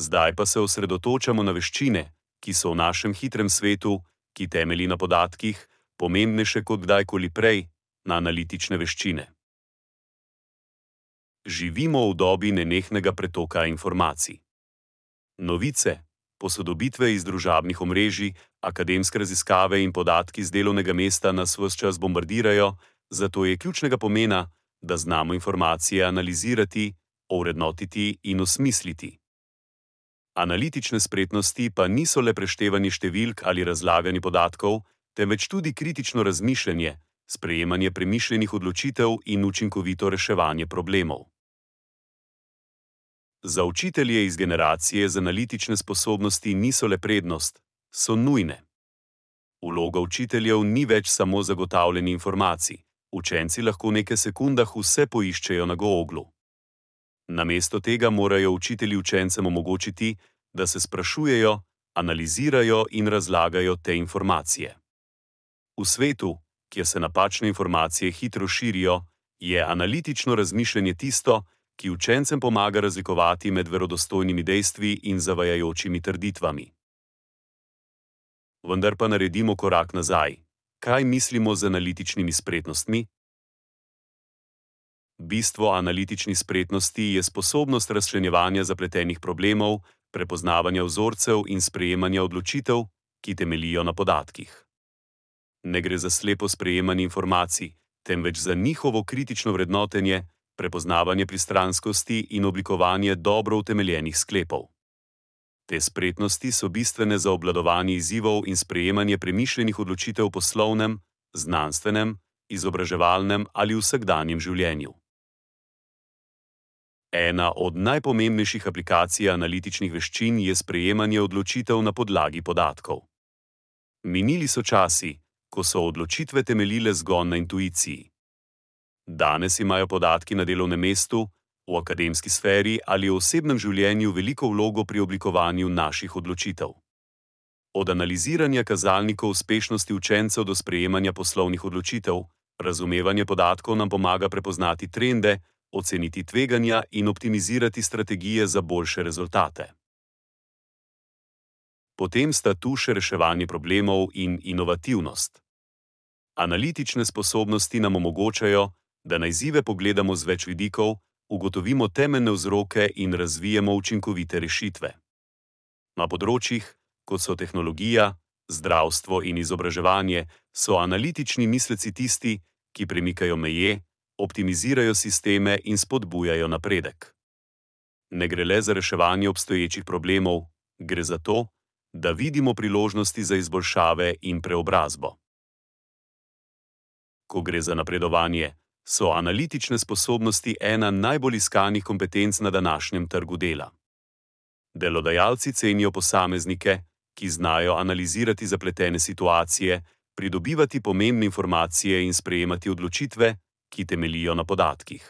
Zdaj pa se osredotočamo na veščine, ki so v našem hitrem svetu, ki temelji na podatkih, pomembnejše kot kdajkoli prej, na analitične veščine. Živimo v dobi nenehnega pretoka informacij. Novice, posodobitve iz družabnih omrežij, akademske raziskave in podatki z delovnega mesta nas ves čas bombardirajo, zato je ključnega pomena, da znamo informacije analizirati, ovrednotiti in osmisliti. Analitične spretnosti pa niso le preštevanje številk ali razlaganje podatkov, temveč tudi kritično razmišljanje, sprejemanje premišljenih odločitev in učinkovito reševanje problemov. Za učitelje iz generacije z analitične sposobnosti niso le prednost, so nujne. Vloga učiteljev ni več samo zagotavljanje informacij, učenci lahko v nekaj sekundah vse poiščejo na Googlu. Namesto tega morajo učitelji učencem omogočiti, da se sprašujejo, analizirajo in razlagajo te informacije. V svetu, kjer se napačne informacije hitro širijo, je analitično razmišljanje tisto, ki učencem pomaga razlikovati med verodostojnimi dejstvi in zavajajočimi trditvami. Vendar pa naredimo korak nazaj. Kaj mislimo z analitičnimi spretnostmi? Bistvo analitičnih spretnosti je sposobnost razčlenjevanja zapletenih problemov, prepoznavanja vzorcev in sprejemanja odločitev, ki temeljijo na podatkih. Ne gre za slepo sprejemanje informacij, temveč za njihovo kritično vrednotenje, prepoznavanje pristranskosti in oblikovanje dobro utemeljenih sklepov. Te spretnosti so bistvene za obvladovanje izzivov in sprejemanje premišljenih odločitev v poslovnem, znanstvenem, izobraževalnem ali vsakdanjem življenju. Ena od najpomembnejših aplikacij analitičnih veščin je sprejemanje odločitev na podlagi podatkov. Minili so časi, ko so odločitve temeljile zgolj na intuiciji. Danes imajo podatki na delovnem mestu, v akademski sferi ali v osebnem življenju veliko vlogo pri oblikovanju naših odločitev. Od analiziranja kazalnikov uspešnosti učencev do sprejemanja poslovnih odločitev, razumevanje podatkov nam pomaga prepoznati trende, oceniti tveganja in optimizirati strategije za boljše rezultate. Potem sta tu še reševanje problemov in inovativnost. Analitične sposobnosti nam omogočajo, da na izzive pogledamo z več vidikov, ugotovimo temeljne vzroke in razvijemo učinkovite rešitve. Na področjih, kot so tehnologija, zdravstvo in izobraževanje, so analitični misleci tisti, ki premikajo meje, optimizirajo sisteme in spodbujajo napredek. Ne gre le za reševanje obstoječih problemov, gre za to, da vidimo priložnosti za izboljšave in preobrazbo. Ko gre za napredovanje, so analitične sposobnosti ena najbolj iskanih kompetenc na današnjem trgu dela. Delodajalci cenijo posameznike, ki znajo analizirati zapletene situacije, pridobivati pomembne informacije in sprejemati odločitve, ki temeljijo na podatkih.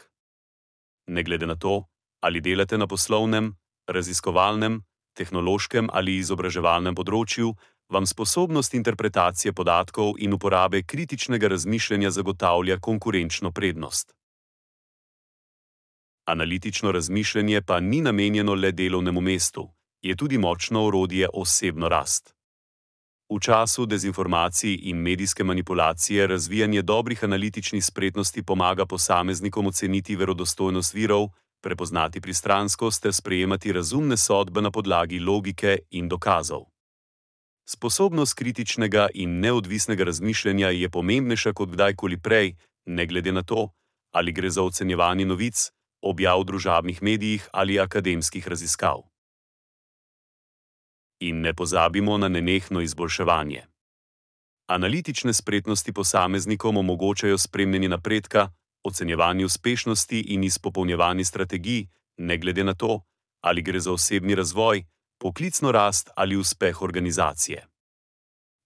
Ne glede na to, ali delate na poslovnem, raziskovalnem, tehnološkem ali izobraževalnem področju, vam sposobnost interpretacije podatkov in uporabe kritičnega razmišljanja zagotavlja konkurenčno prednost. Analitično razmišljanje pa ni namenjeno le delovnemu mestu, je tudi močno orodje osebno rast. V času dezinformacij in medijske manipulacije razvijanje dobrih analitičnih spretnosti pomaga posameznikom oceniti verodostojnost virov, prepoznati pristranskost ter sprejemati razumne sodbe na podlagi logike in dokazov. Sposobnost kritičnega in neodvisnega razmišljanja je pomembnejša kot kdajkoli prej, ne glede na to, ali gre za ocenjevanje novic, objav v družabnih medijih ali akademskih raziskav. In ne pozabimo na nenehno izboljševanje. Analitične spretnosti posameznikom omogočajo spremljanje napredka, ocenjevanje uspešnosti in izpopolnjevanje strategij, ne glede na to, ali gre za osebni razvoj, poklicno rast ali uspeh organizacije.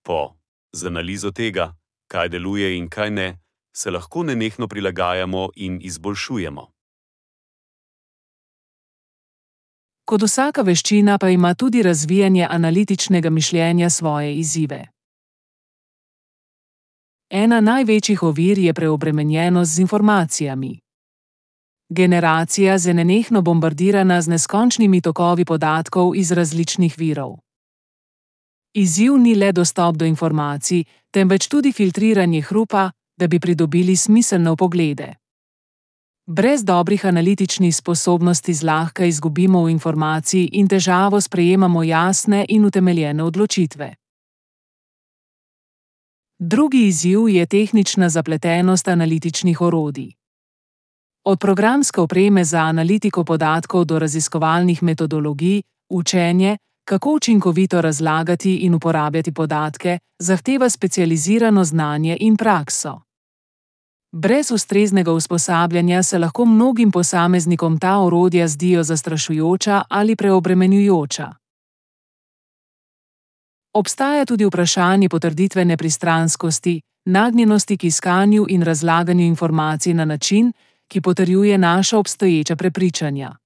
Po z analizo tega, kaj deluje in kaj ne, se lahko nenehno prilagajamo in izboljšujemo. Kot vsaka veščina pa ima tudi razvijanje analitičnega mišljenja svoje izzive. Ena največjih ovir je preobremenjenost z informacijami. Generacija je nenehno bombardirana z neskončnimi tokovi podatkov iz različnih virov. Izziv ni le dostop do informacij, temveč tudi filtriranje hrupa, da bi pridobili smiselne vpoglede. Brez dobrih analitičnih sposobnosti zlahka izgubimo v informaciji in težavo sprejemamo jasne in utemeljene odločitve. Drugi izziv je tehnična zapletenost analitičnih orodij. Od programske opreme za analitiko podatkov do raziskovalnih metodologij, učenje, kako učinkovito razlagati in uporabljati podatke, zahteva specializirano znanje in prakso. Brez ustreznega usposabljanja se lahko mnogim posameznikom ta orodja zdijo zastrašujoča ali preobremenjujoča. Obstaja tudi vprašanje potrditve nepristranskosti, nagnjenosti k iskanju in razlaganju informacij na način, ki potrjuje naša obstoječa prepričanja.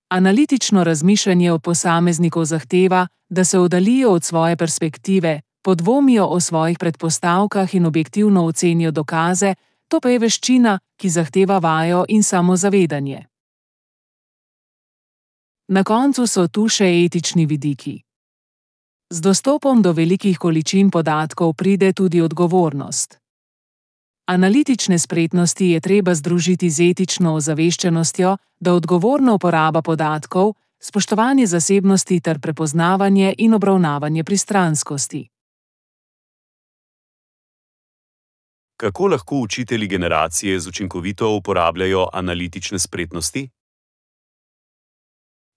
Analitično razmišljanje od posameznikov zahteva, da se oddaljijo od svoje perspektive, podvomijo o svojih predpostavkah in objektivno ocenijo dokaze, to pa je veščina, ki zahteva vajo in samozavedanje. Na koncu so tu še etični vidiki. Z dostopom do velikih količin podatkov pride tudi odgovornost. Analitične spretnosti je treba združiti z etično ozaveščenostjo, da odgovorna uporaba podatkov, spoštovanje zasebnosti ter prepoznavanje in obravnavanje pristranskosti. Kako lahko učitelji generacije z učinkovito uporabljajo analitične spretnosti?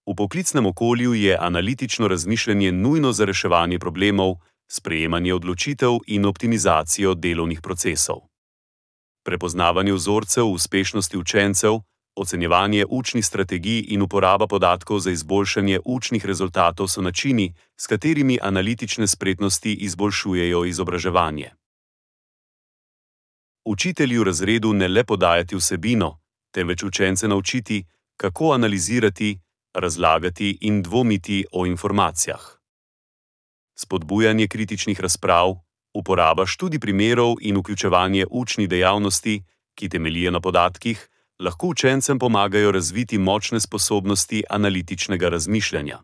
V poklicnem okolju je analitično razmišljanje nujno za reševanje problemov, sprejemanje odločitev in optimizacijo delovnih procesov. Prepoznavanje vzorcev uspešnosti učencev, ocenjevanje učnih strategij in uporaba podatkov za izboljšanje učnih rezultatov so načini, s katerimi analitične spretnosti izboljšujejo izobraževanje. Učitelji v razredu ne le podajati vsebino, temveč učence naučiti, kako analizirati, razlagati in dvomiti o informacijah. Spodbujanje kritičnih razprav, uporaba študij primerov in vključevanje učnih dejavnosti, ki temeljijo na podatkih, lahko učencem pomagajo razviti močne sposobnosti analitičnega razmišljanja.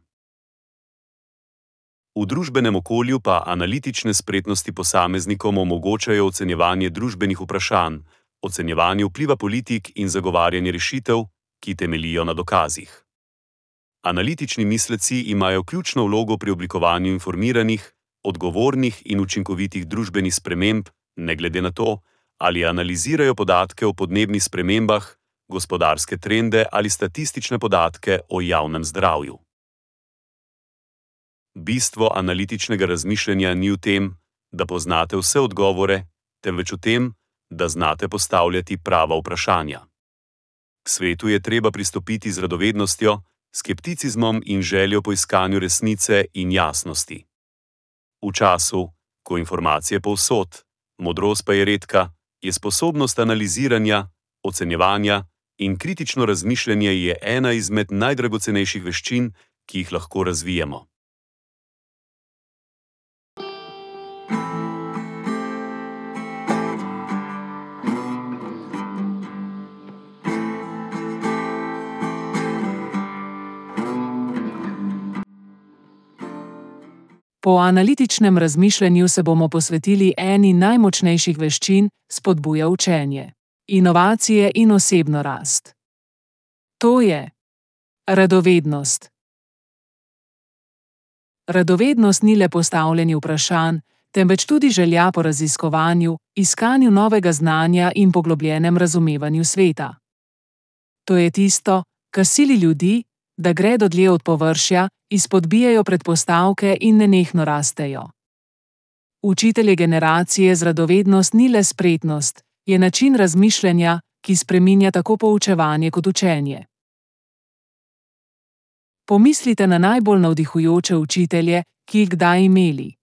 V družbenem okolju pa analitične spretnosti posameznikom omogočajo ocenjevanje družbenih vprašanj, ocenjevanje vpliva politik in zagovarjanje rešitev, ki temeljijo na dokazih. Analitični misleci imajo ključno vlogo pri oblikovanju informiranih, odgovornih in učinkovitih družbenih sprememb, ne glede na to, ali analizirajo podatke o podnebnih spremembah, gospodarske trende ali statistične podatke o javnem zdravju. Bistvo analitičnega razmišljanja ni v tem, da poznate vse odgovore, temveč v tem, da znate postavljati prava vprašanja. K svetu je treba pristopiti z radovednostjo, skepticizmom in željo po iskanju resnice in jasnosti. V času, ko informacije povsod, modrost pa je redka, je sposobnost analiziranja, ocenjevanja in kritično razmišljanje je ena izmed najdragocenejših veščin, ki jih lahko razvijemo. Po analitičnem razmišljanju se bomo posvetili eni najmočnejših veščin, spodbuja učenje, inovacije in osebno rast. To je radovednost. Radovednost ni le postavljanje vprašanj, temveč tudi želja po raziskovanju, iskanju novega znanja in poglobljenem razumevanju sveta. To je tisto, kar sili ljudi, da gredo dlje od površja, izpodbijajo predpostavke in nenehno rastejo. Učitelj generacije z radovednost ni le spretnost, je način razmišljanja, ki spreminja tako poučevanje kot učenje. Pomislite na najbolj navdihujoče učitelje, ki jih kdaj imeli.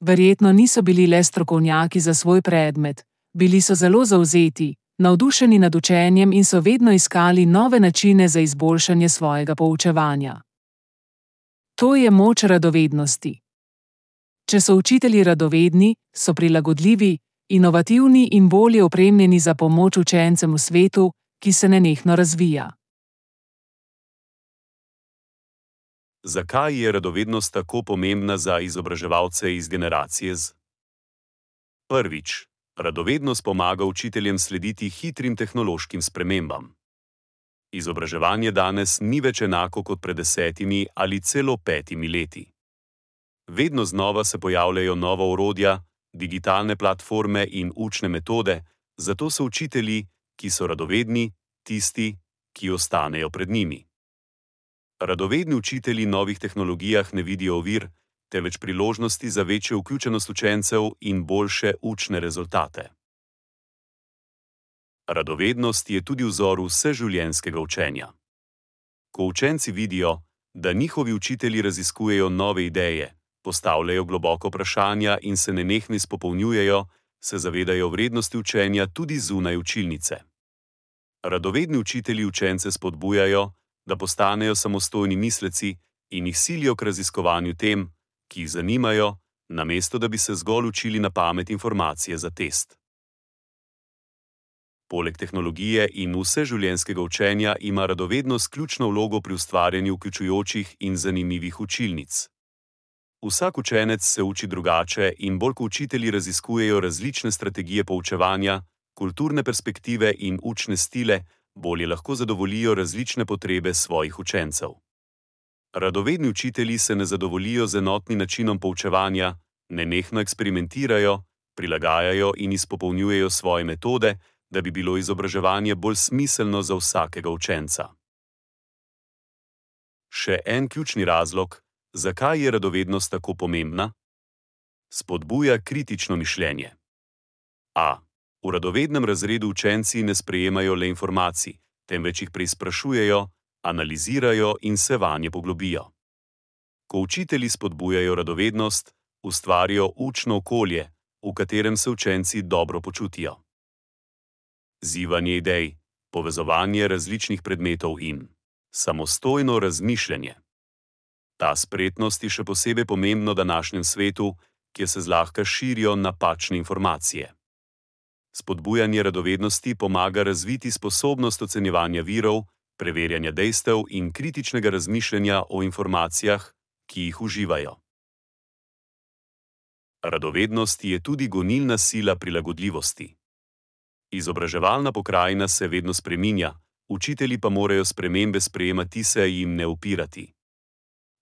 Verjetno niso bili le strokovnjaki za svoj predmet, bili so zelo zavzeti, navdušeni nad učenjem in so vedno iskali nove načine za izboljšanje svojega poučevanja. To je moč radovednosti. Če so učitelji radovedni, so prilagodljivi, inovativni in bolje opremljeni za pomoč učencem v svetu, ki se nenehno razvija. Zakaj je radovednost tako pomembna za izobraževalce iz generacije Z? Prvič, radovednost pomaga učiteljem slediti hitrim tehnološkim spremembam. Izobraževanje danes ni več enako kot pred desetimi ali celo petimi leti. Vedno znova se pojavljajo nova orodja, digitalne platforme in učne metode, zato so učitelji, ki so radovedni, tisti, ki ostanejo pred njimi. Radovedni učitelji novih tehnologijah ne vidijo ovir, temveč priložnosti za večjo vključenost učencev in boljše učne rezultate. Radovednost je tudi vzor vseživljenjskega učenja. Ko učenci vidijo, da njihovi učitelji raziskujejo nove ideje, postavljajo globoko vprašanja in se nenehno izpopolnjujejo, se zavedajo vrednosti učenja tudi zunaj učilnice. Radovedni učitelji učence spodbujajo, da postanejo samostojni misleci in jih silijo k raziskovanju tem, ki jih zanimajo, namesto da bi se zgolj učili na pamet informacije za test. Poleg tehnologije in vseživljenjskega učenja ima radovednost ključno vlogo pri ustvarjanju vključujočih in zanimivih učilnic. Vsak učenec se uči drugače in bolj ko učitelji raziskujejo različne strategije poučevanja, kulturne perspektive in učne stile, bolje lahko zadovoljijo različne potrebe svojih učencev. Radovedni učitelji se ne zadovoljijo z enotnim načinom poučevanja, nenehno eksperimentirajo, prilagajajo in izpopolnjujejo svoje metode, da bi bilo izobraževanje bolj smiselno za vsakega učenca. Še en ključni razlog, zakaj je radovednost tako pomembna? Spodbuja kritično mišljenje. A. V radovednem razredu učenci ne sprejemajo le informacij, temveč jih preizprašujejo, analizirajo in se vanje poglobijo. Ko učitelji spodbujajo radovednost, ustvarijo učno okolje, v katerem se učenci dobro počutijo. Zivanje idej, povezovanje različnih predmetov in samostojno razmišljanje. Ta spretnost je še posebej pomembna v današnjem svetu, kjer se zlahka širijo napačne informacije. Spodbujanje radovednosti pomaga razviti sposobnost ocenjevanja virov, preverjanja dejstev in kritičnega razmišljanja o informacijah, ki jih uživajo. Radovednost je tudi gonilna sila prilagodljivosti. Izobraževalna pokrajina se vedno spreminja, učitelji pa morajo spremembe sprejemati, se jim ne upirati.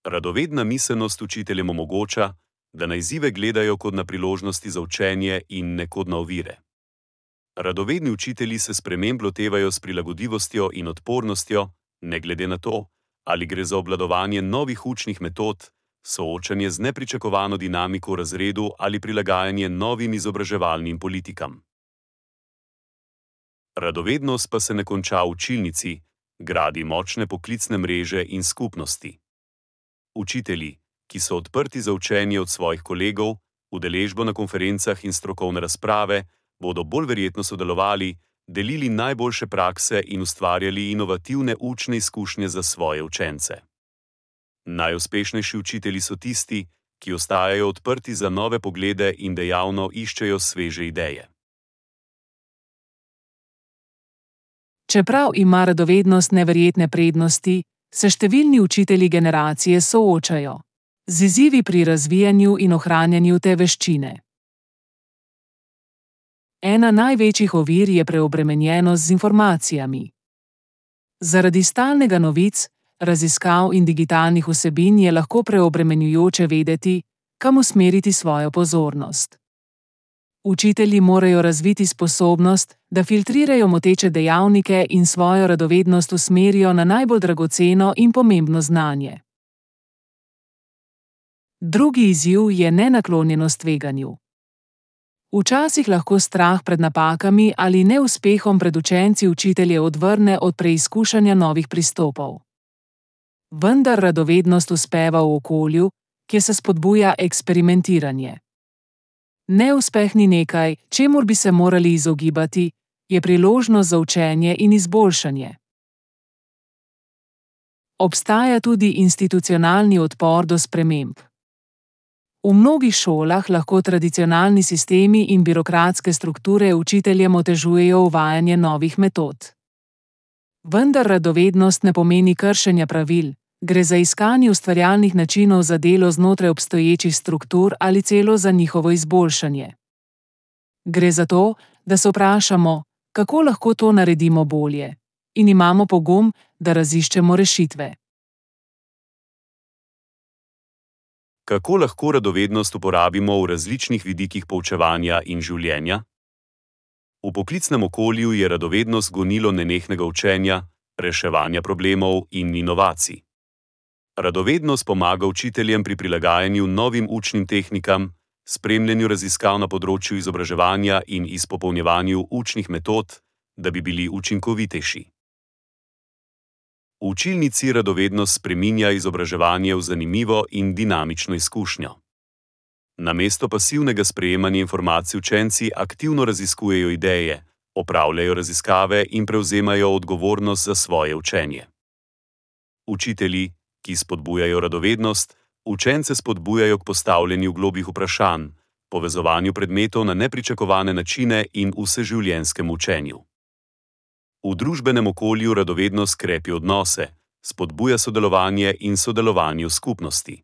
Radovedna miselnost učiteljem omogoča, da na izzive gledajo kot na priložnosti za učenje in ne kot na ovire. Radovedni učitelji se sprememb lotevajo s prilagodljivostjo in odpornostjo, ne glede na to, ali gre za obvladovanje novih učnih metod, soočanje z nepričakovano dinamiko v razredu ali prilagajanje novim izobraževalnim politikam. Radovednost pa se ne konča v učilnici, gradi močne poklicne mreže in skupnosti. Učitelji, ki so odprti za učenje od svojih kolegov, udeležbo na konferencah in strokovne razprave, bodo bolj verjetno sodelovali, delili najboljše prakse in ustvarjali inovativne učne izkušnje za svoje učence. Najuspešnejši učitelji so tisti, ki ostajajo odprti za nove poglede in dejavno iščejo sveže ideje. Čeprav ima radovednost neverjetne prednosti, se številni učitelji generacije soočajo z izzivi pri razvijanju in ohranjanju te veščine. Ena največjih ovir je preobremenjenost z informacijami. Zaradi stalnega novic, raziskav in digitalnih vsebin je lahko preobremenjujoče vedeti, kam usmeriti svojo pozornost. Učitelji morajo razviti sposobnost, da filtrirajo moteče dejavnike in svojo radovednost usmerijo na najbolj dragoceno in pomembno znanje. Drugi izziv je nenaklonjenost tveganju. Včasih lahko strah pred napakami ali neuspehom pred učenci učitelje odvrne od preizkušanja novih pristopov. Vendar radovednost uspeva v okolju, kjer se spodbuja eksperimentiranje. Neuspeh ni nekaj, čemur bi se morali izogibati, je priložnost za učenje in izboljšanje. Obstaja tudi institucionalni odpor do sprememb. V mnogih šolah lahko tradicionalni sistemi in birokratske strukture učiteljem otežujejo uvajanje novih metod. Vendar radovednost ne pomeni kršenja pravil, gre za iskanje ustvarjalnih načinov za delo znotraj obstoječih struktur ali celo za njihovo izboljšanje. Gre za to, da se vprašamo, kako lahko to naredimo bolje, in imamo pogum, da raziščemo rešitve. Kako lahko radovednost uporabimo v različnih vidikih poučevanja in življenja? V poklicnem okolju je radovednost gonilo nenehnega učenja, reševanja problemov in inovacij. Radovednost pomaga učiteljem pri prilagajanju novim učnim tehnikam, spremljanju raziskav na področju izobraževanja in izpopolnjevanju učnih metod, da bi bili učinkovitejši. V učilnici radovednost spreminja izobraževanje v zanimivo in dinamično izkušnjo. Namesto pasivnega sprejemanja informacij učenci aktivno raziskujejo ideje, opravljajo raziskave in prevzemajo odgovornost za svoje učenje. Učitelji, ki spodbujajo radovednost, učence spodbujajo k postavljanju globljih vprašanj, povezovanju predmetov na nepričakovane načine in vseživljenjskem učenju. V družbenem okolju radovednost krepi odnose, spodbuja sodelovanje in sodelovanje v skupnosti.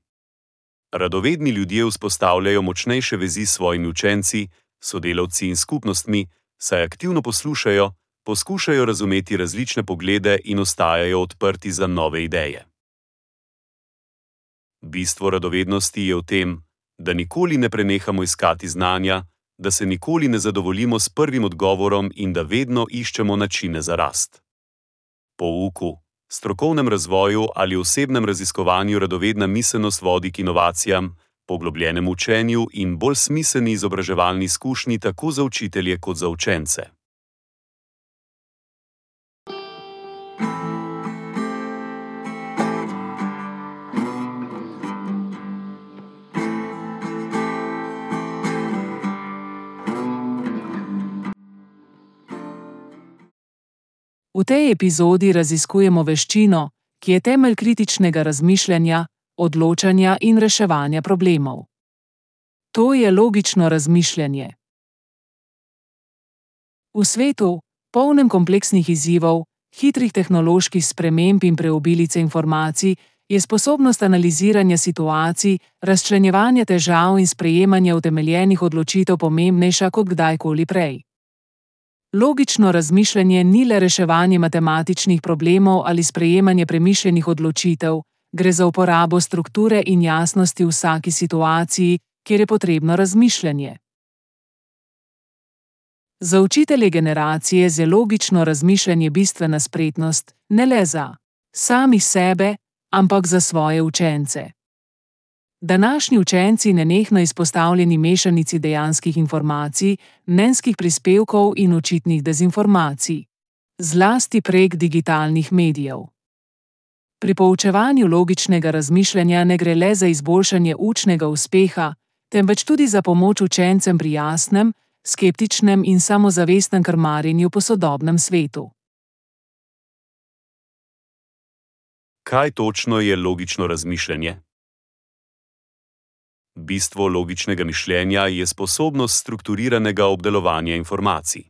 Radovedni ljudje vzpostavljajo močnejše vezi s svojimi učenci, sodelavci in skupnostmi, saj aktivno poslušajo, poskušajo razumeti različne poglede in ostajajo odprti za nove ideje. Bistvo radovednosti je v tem, da nikoli ne prenehamo iskati znanja, da se nikoli ne zadovoljimo s prvim odgovorom in da vedno iščemo načine za rast. Pouku, strokovnem razvoju ali osebnem raziskovanju radovedna miselnost vodi k inovacijam, poglobljenemu učenju in bolj smiselni izobraževalni izkušnji tako za učitelje kot za učence. V tej epizodi raziskujemo veščino, ki je temelj kritičnega razmišljanja, odločanja in reševanja problemov. To je logično razmišljanje. V svetu, polnem kompleksnih izzivov, hitrih tehnoloških sprememb in preobilice informacij, je sposobnost analiziranja situacij, razčlenjevanja težav in sprejemanja utemeljenih odločitev pomembnejša kot kdajkoli prej. Logično razmišljanje ni le reševanje matematičnih problemov ali sprejemanje premišljenih odločitev, gre za uporabo strukture in jasnosti v vsaki situaciji, kjer je potrebno razmišljanje. Za učitelje generacije je logično razmišljanje bistvena spretnost, ne le za samih sebe, ampak za svoje učence. Današnji učenci nenehno izpostavljeni mešanici dejanskih informacij, mnenjskih prispevkov in očitnih dezinformacij, zlasti prek digitalnih medijev. Pri poučevanju logičnega razmišljanja ne gre le za izboljšanje učnega uspeha, temveč tudi za pomoč učencem pri jasnem, skeptičnem in samozavestnem krmarjenju po sodobnem svetu. Kaj točno je logično razmišljanje? Bistvo logičnega mišljenja je sposobnost strukturiranega obdelovanja informacij.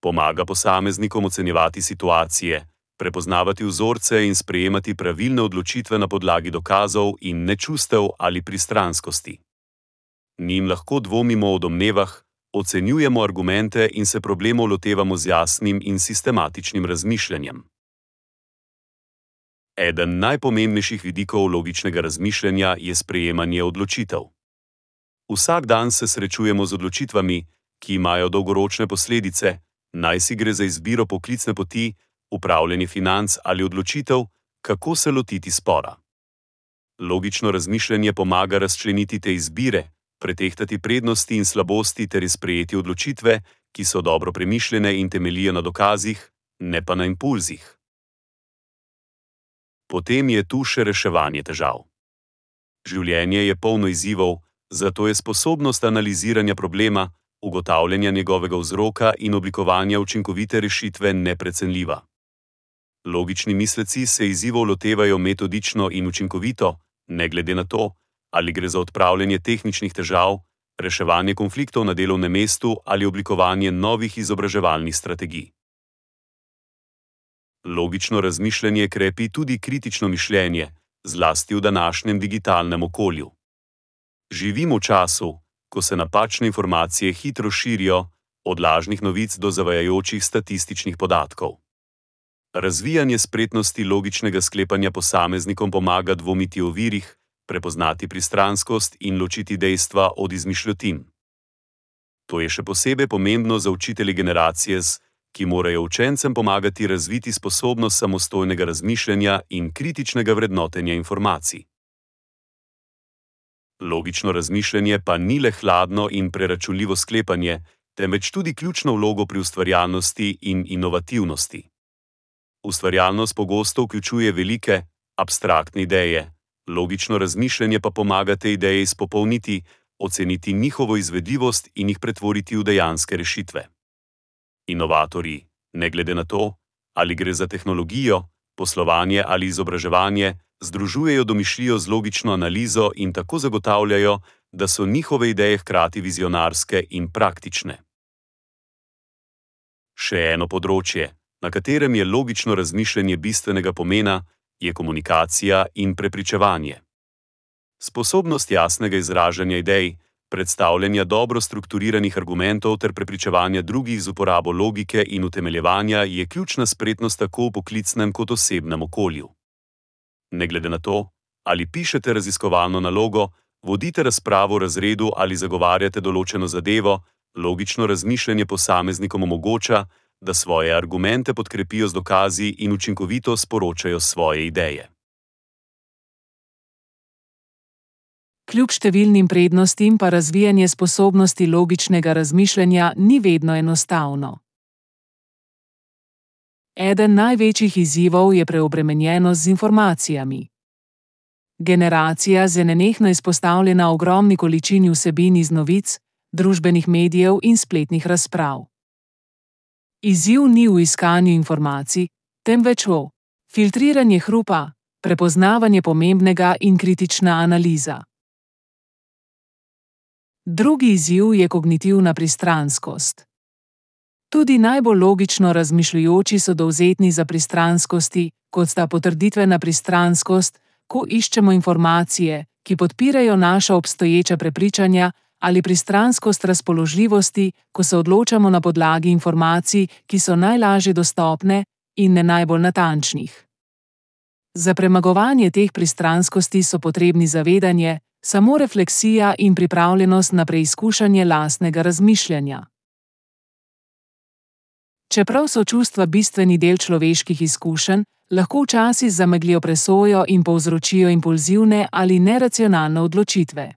Pomaga posameznikom ocenjevati situacije, prepoznavati vzorce in sprejemati pravilne odločitve na podlagi dokazov in ne čustev ali pristranskosti. Njim lahko dvomimo o domnevah, ocenjujemo argumente in se problemov lotevamo z jasnim in sistematičnim razmišljanjem. Eden najpomembnejših vidikov logičnega razmišljanja je sprejemanje odločitev. Vsak dan se srečujemo z odločitvami, ki imajo dolgoročne posledice, naj si gre za izbiro poklicne poti, upravljanje financ ali odločitev, kako se lotiti spora. Logično razmišljanje pomaga razčleniti te izbire, pretehtati prednosti in slabosti ter sprejeti odločitve, ki so dobro premišljene in temeljijo na dokazih, ne pa na impulzih. Potem je tu še reševanje težav. Življenje je polno izzivov, zato je sposobnost analiziranja problema, ugotavljanja njegovega vzroka in oblikovanja učinkovite rešitve neprecenljiva. Logični misleci se izzivov lotevajo metodično in učinkovito, ne glede na to, ali gre za odpravljanje tehničnih težav, reševanje konfliktov na delovnem mestu ali oblikovanje novih izobraževalnih strategij. Logično razmišljanje krepi tudi kritično mišljenje, zlasti v današnjem digitalnem okolju. Živimo v času, ko se napačne informacije hitro širijo, od lažnih novic do zavajajočih statističnih podatkov. Razvijanje spretnosti logičnega sklepanja posameznikom pomaga dvomiti o virih, prepoznati pristranskost in ločiti dejstva od izmišljotin. To je še posebej pomembno za učitelje generacije Z, ki morajo učencem pomagati razviti sposobnost samostojnega razmišljanja in kritičnega vrednotenja informacij. Logično razmišljanje pa ni le hladno in preračunljivo sklepanje, temveč tudi ključno vlogo pri ustvarjalnosti in inovativnosti. Ustvarjalnost pogosto vključuje velike, abstraktne ideje, logično razmišljanje pa pomaga te ideje izpopolniti, oceniti njihovo izvedljivost in jih pretvoriti v dejanske rešitve. Inovatorji, ne glede na to, ali gre za tehnologijo, poslovanje ali izobraževanje, združujejo domišljijo z logično analizo in tako zagotavljajo, da so njihove ideje hkrati vizionarske in praktične. Še eno področje, na katerem je logično razmišljanje bistvenega pomena, je komunikacija in prepričevanje. Sposobnost jasnega izražanja idej, predstavljanja dobro strukturiranih argumentov ter prepričevanja drugih z uporabo logike in utemeljevanja je ključna spretnost tako v poklicnem kot osebnem okolju. Ne glede na to, ali pišete raziskovalno nalogo, vodite razpravo v razredu ali zagovarjate določeno zadevo, logično razmišljanje posameznikom omogoča, da svoje argumente podkrepijo z dokazi in učinkovito sporočajo svoje ideje. Kljub številnim prednostim pa razvijanje sposobnosti logičnega razmišljanja ni vedno enostavno. Eden največjih izzivov je preobremenjenost z informacijami. Generacija je nenehno izpostavljena ogromni količini vsebin iz novic, družbenih medijev in spletnih razprav. Izziv ni v iskanju informacij, temveč v filtriranje hrupa, prepoznavanje pomembnega in kritična analiza. Drugi izziv je kognitivna pristranskost. Tudi najbolj logično razmišljujoči so dovzetni za pristranskosti, kot sta potrditvena pristranskost, ko iščemo informacije, ki podpirajo naša obstoječa prepričanja, ali pristranskost razpoložljivosti, ko se odločamo na podlagi informacij, ki so najlažje dostopne in ne najbolj natančnih. Za premagovanje teh pristranskosti so potrebni zavedanje, samorefleksija in pripravljenost na preizkušanje lastnega razmišljanja. Čeprav so čustva bistveni del človeških izkušenj, lahko včasih zameglijo presojo in povzročijo impulzivne ali neracionalne odločitve.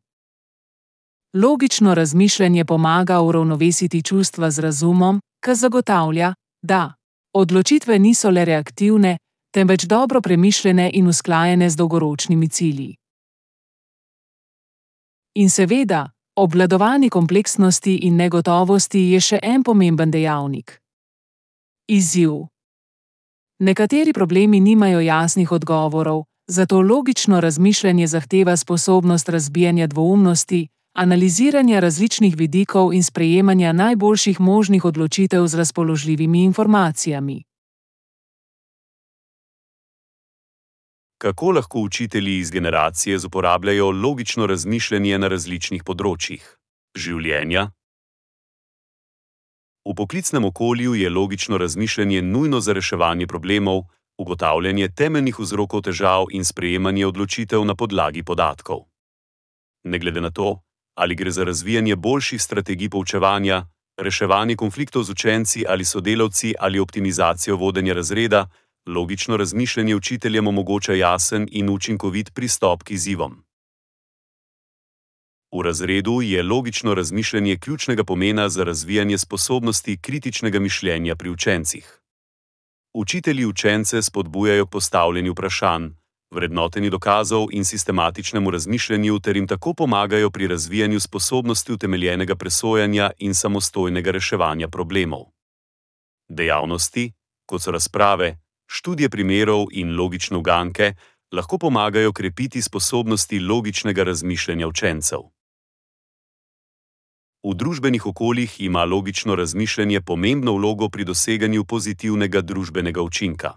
Logično razmišljanje pomaga uravnovesiti čustva z razumom, kar zagotavlja, da odločitve niso le reaktivne, temveč dobro premišljene in usklajene z dolgoročnimi cilji. In seveda, obvladovanje kompleksnosti in negotovosti je še en pomemben dejavnik. Izziv. Nekateri problemi nimajo jasnih odgovorov, zato logično razmišljanje zahteva sposobnost razbijanja dvoumnosti, analiziranja različnih vidikov in sprejemanja najboljših možnih odločitev z razpoložljivimi informacijami. Kako lahko učitelji iz generacije Z uporabljajo logično razmišljanje na različnih področjih življenja? V poklicnem okolju je logično razmišljanje nujno za reševanje problemov, ugotavljanje temeljnih vzrokov težav in sprejemanje odločitev na podlagi podatkov. Ne glede na to, ali gre za razvijanje boljših strategij poučevanja, reševanje konfliktov z učenci ali sodelavci ali optimizacijo vodenja razreda, logično razmišljanje učiteljem omogoča jasen in učinkovit pristop k izzivom. V razredu je logično razmišljanje ključnega pomena za razvijanje sposobnosti kritičnega mišljenja pri učencih. Učitelji učence spodbujajo k postavljanju vprašanj, vrednotenju dokazov in sistematičnemu razmišljanju ter jim tako pomagajo pri razvijanju sposobnosti utemeljenega presojanja in samostojnega reševanja problemov. Dejavnosti, kot so razprave, študije primerov in logične uganke, lahko pomagajo krepiti sposobnosti logičnega razmišljanja učencev. V družbenih okoljih ima logično razmišljanje pomembno vlogo pri doseganju pozitivnega družbenega učinka.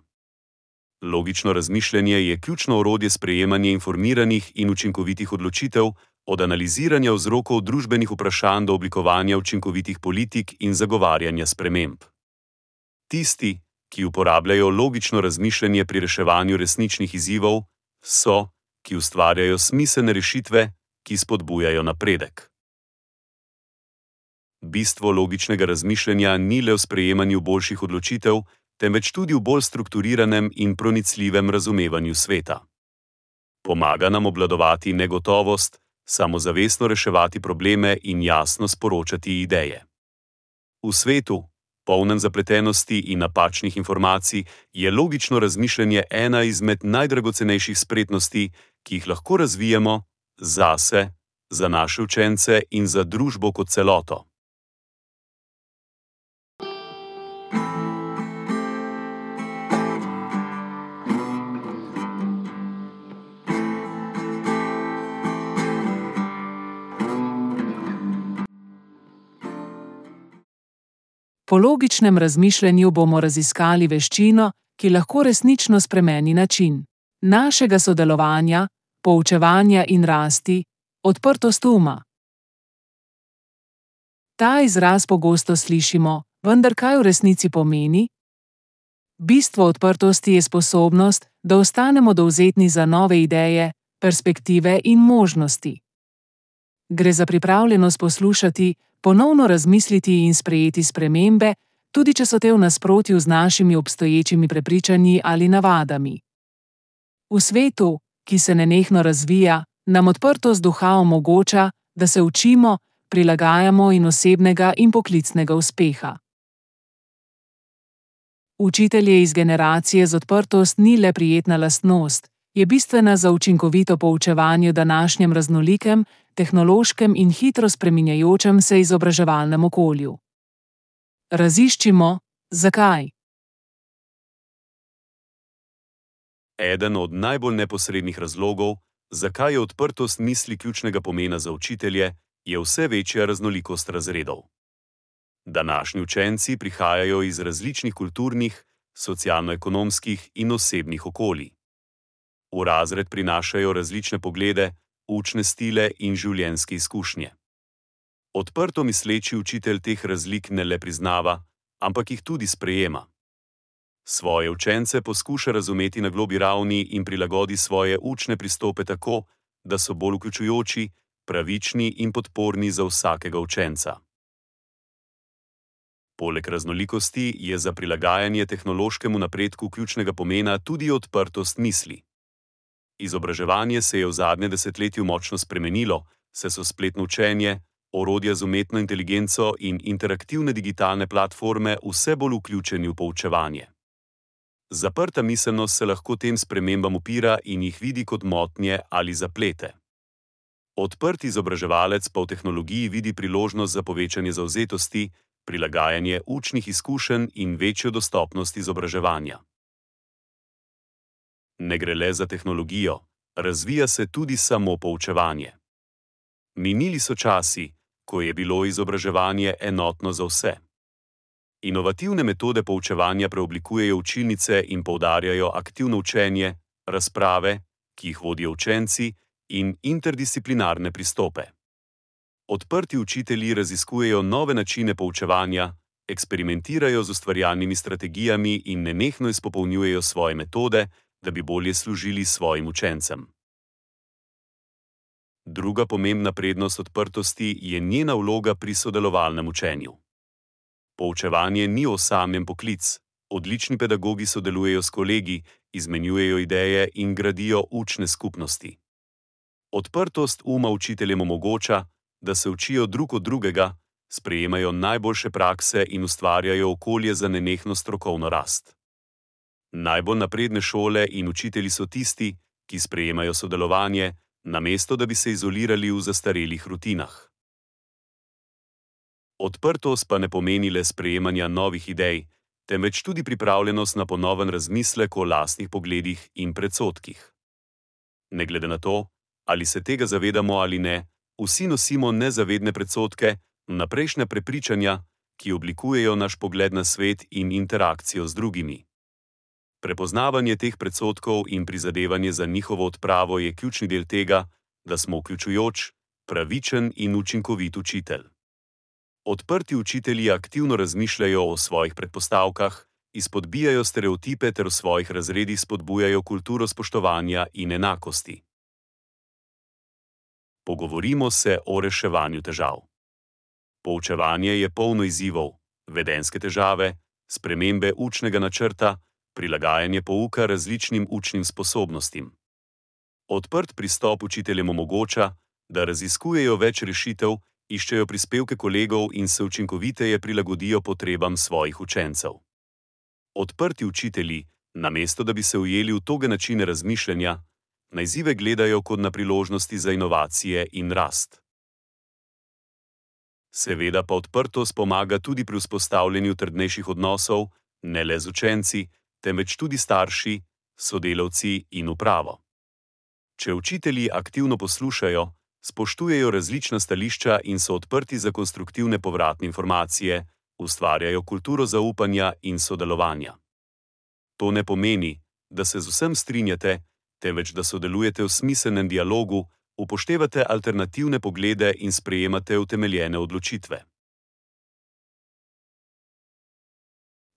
Logično razmišljanje je ključno orodje sprejemanja informiranih in učinkovitih odločitev, od analiziranja vzrokov družbenih vprašanj do oblikovanja učinkovitih politik in zagovarjanja sprememb. Tisti, ki uporabljajo logično razmišljanje pri reševanju resničnih izzivov, so, ki ustvarjajo smiselne rešitve, ki spodbujajo napredek. Bistvo logičnega razmišljanja ni le v sprejemanju boljših odločitev, temveč tudi v bolj strukturiranem in pronicljivem razumevanju sveta. Pomaga nam obvladovati negotovost, samozavestno reševati probleme in jasno sporočati ideje. V svetu, polnem zapletenosti in napačnih informacij, je logično razmišljanje ena izmed najdragocenejših spretnosti, ki jih lahko razvijemo zase, za naše učence in za družbo kot celoto. Po logičnem razmišljanju bomo raziskali veščino, ki lahko resnično spremeni način našega sodelovanja, poučevanja in rasti, odprtost uma. Ta izraz pogosto slišimo, vendar kaj v resnici pomeni? Bistvo odprtosti je sposobnost, da ostanemo dovzetni za nove ideje, perspektive in možnosti. Gre za pripravljenost poslušati, ponovno razmisliti in sprejeti spremembe, tudi če so te v nasprotju z našimi obstoječimi prepričanji ali navadami. V svetu, ki se nenehno razvija, nam odprtost duha omogoča, da se učimo, prilagajamo in osebnega in poklicnega uspeha. Učitelje iz generacije z odprtost ni le prijetna lastnost, je bistvena za učinkovito poučevanje v današnjem raznolikem, tehnološkem in hitro spreminjajočem se izobraževalnem okolju. Raziščimo, zakaj. Eden od najbolj neposrednih razlogov, zakaj je odprtost misli ključnega pomena za učitelje, je vse večja raznolikost razredov. Današnji učenci prihajajo iz različnih kulturnih, socialno-ekonomskih in osebnih okolij. V razred prinašajo različne poglede, učne stile in življenjske izkušnje. Odprto misleči učitelj teh razlik ne le priznava, ampak jih tudi sprejema. Svoje učence poskuša razumeti na globlji ravni in prilagodi svoje učne pristope tako, da so bolj vključujoči, pravični in podporni za vsakega učenca. Poleg raznolikosti je za prilagajanje tehnološkemu napredku ključnega pomena tudi odprtost misli. Izobraževanje se je v zadnjem desetletju močno spremenilo, saj so spletno učenje, orodja z umetno inteligenco in interaktivne digitalne platforme vse bolj vključeni v poučevanje. Zaprta miselnost se lahko tem spremembam upira in jih vidi kot motnje ali zaplete. Odprt izobraževalec pa v tehnologiji vidi priložnost za povečanje zavzetosti, prilagajanje učnih izkušenj in večjo dostopnost izobraževanja. Ne gre le za tehnologijo, razvija se tudi samo poučevanje. Minili so časi, ko je bilo izobraževanje enotno za vse. Inovativne metode poučevanja preoblikujejo učilnice in poudarjajo aktivno učenje, razprave, ki jih vodijo učenci, in interdisciplinarne pristope. Odprti učitelji raziskujejo nove načine poučevanja, eksperimentirajo z ustvarjalnimi strategijami in nenehno izpopolnjujejo svoje metode, da bi bolje služili svojim učencem. Druga pomembna prednost odprtosti je njena vloga pri sodelovalnem učenju. Poučevanje ni osamljen poklic, odlični pedagogi sodelujejo s kolegi, izmenjujejo ideje in gradijo učne skupnosti. Odprtost uma učiteljem omogoča, da se učijo drug od drugega, sprejemajo najboljše prakse in ustvarjajo okolje za nenehno strokovno rast. Najbolj napredne šole in učitelji so tisti, ki sprejemajo sodelovanje, namesto da bi se izolirali v zastarelih rutinah. Odprtost pa ne pomeni le sprejemanja novih idej, temveč tudi pripravljenost na ponoven razmislek o lastnih pogledih in predsodkih. Ne glede na to, ali se tega zavedamo ali ne, vsi nosimo nezavedne predsodke, vnaprejšnja prepričanja, ki oblikujejo naš pogled na svet in interakcijo z drugimi. Prepoznavanje teh predsodkov in prizadevanje za njihovo odpravo je ključni del tega, da smo vključujoč, pravičen in učinkovit učitelj. Odprti učitelji aktivno razmišljajo o svojih predpostavkah, izpodbijajo stereotipe ter v svojih razredih spodbujajo kulturo spoštovanja in enakosti. Pogovorimo se o reševanju težav. Poučevanje je polno izzivov, vedenjske težave, spremembe učnega načrta, prilagajanje pouka različnim učnim sposobnostim. Odprt pristop učiteljem omogoča, da raziskujejo več rešitev, iščejo prispevke kolegov in se učinkoviteje prilagodijo potrebam svojih učencev. Odprti učitelji, namesto da bi se ujeli v toge načine razmišljanja, na izzive gledajo kot na priložnosti za inovacije in rast. Seveda pa odprtost pomaga tudi pri vzpostavljanju trdnejših odnosov, ne le z učenci, temveč tudi starši, sodelavci in upravo. Če učitelji aktivno poslušajo, spoštujejo različna stališča in so odprti za konstruktivne povratne informacije, ustvarjajo kulturo zaupanja in sodelovanja. To ne pomeni, da se z vsem strinjate, temveč da sodelujete v smiselnem dialogu, upoštevate alternativne poglede in sprejemate utemeljene odločitve.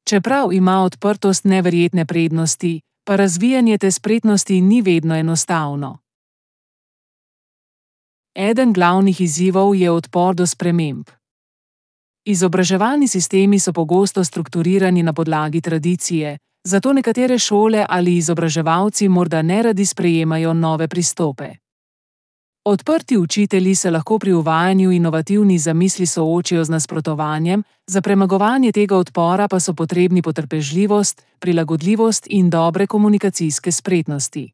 Čeprav ima odprtost neverjetne prednosti, pa razvijanje te spretnosti ni vedno enostavno. Eden glavnih izzivov je odpor do sprememb. Izobraževalni sistemi so pogosto strukturirani na podlagi tradicije, zato nekatere šole ali izobraževalci morda neradi sprejemajo nove pristope. Odprti učitelji se lahko pri uvajanju inovativnih zamisli soočijo z nasprotovanjem, za premagovanje tega odpora pa so potrebni potrpežljivost, prilagodljivost in dobre komunikacijske spretnosti.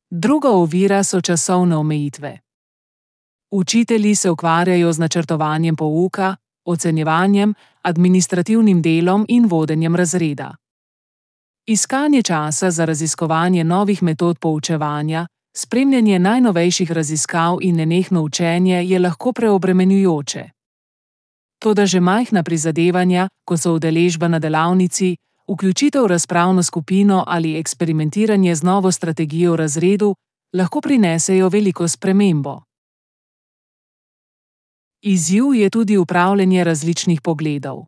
Druga ovira so časovne omejitve. Učitelji se ukvarjajo z načrtovanjem pouka, ocenjevanjem, administrativnim delom in vodenjem razreda. Iskanje časa za raziskovanje novih metod poučevanja, spremljanje najnovejših raziskav in nenehno učenje je lahko preobremenjujoče. Toda že majhna prizadevanja, kot so udeležba na delavnici, vključitev v razpravno skupino ali eksperimentiranje z novo strategijo v razredu, lahko prinesejo veliko spremembo. Izziv je tudi upravljanje različnih pogledov.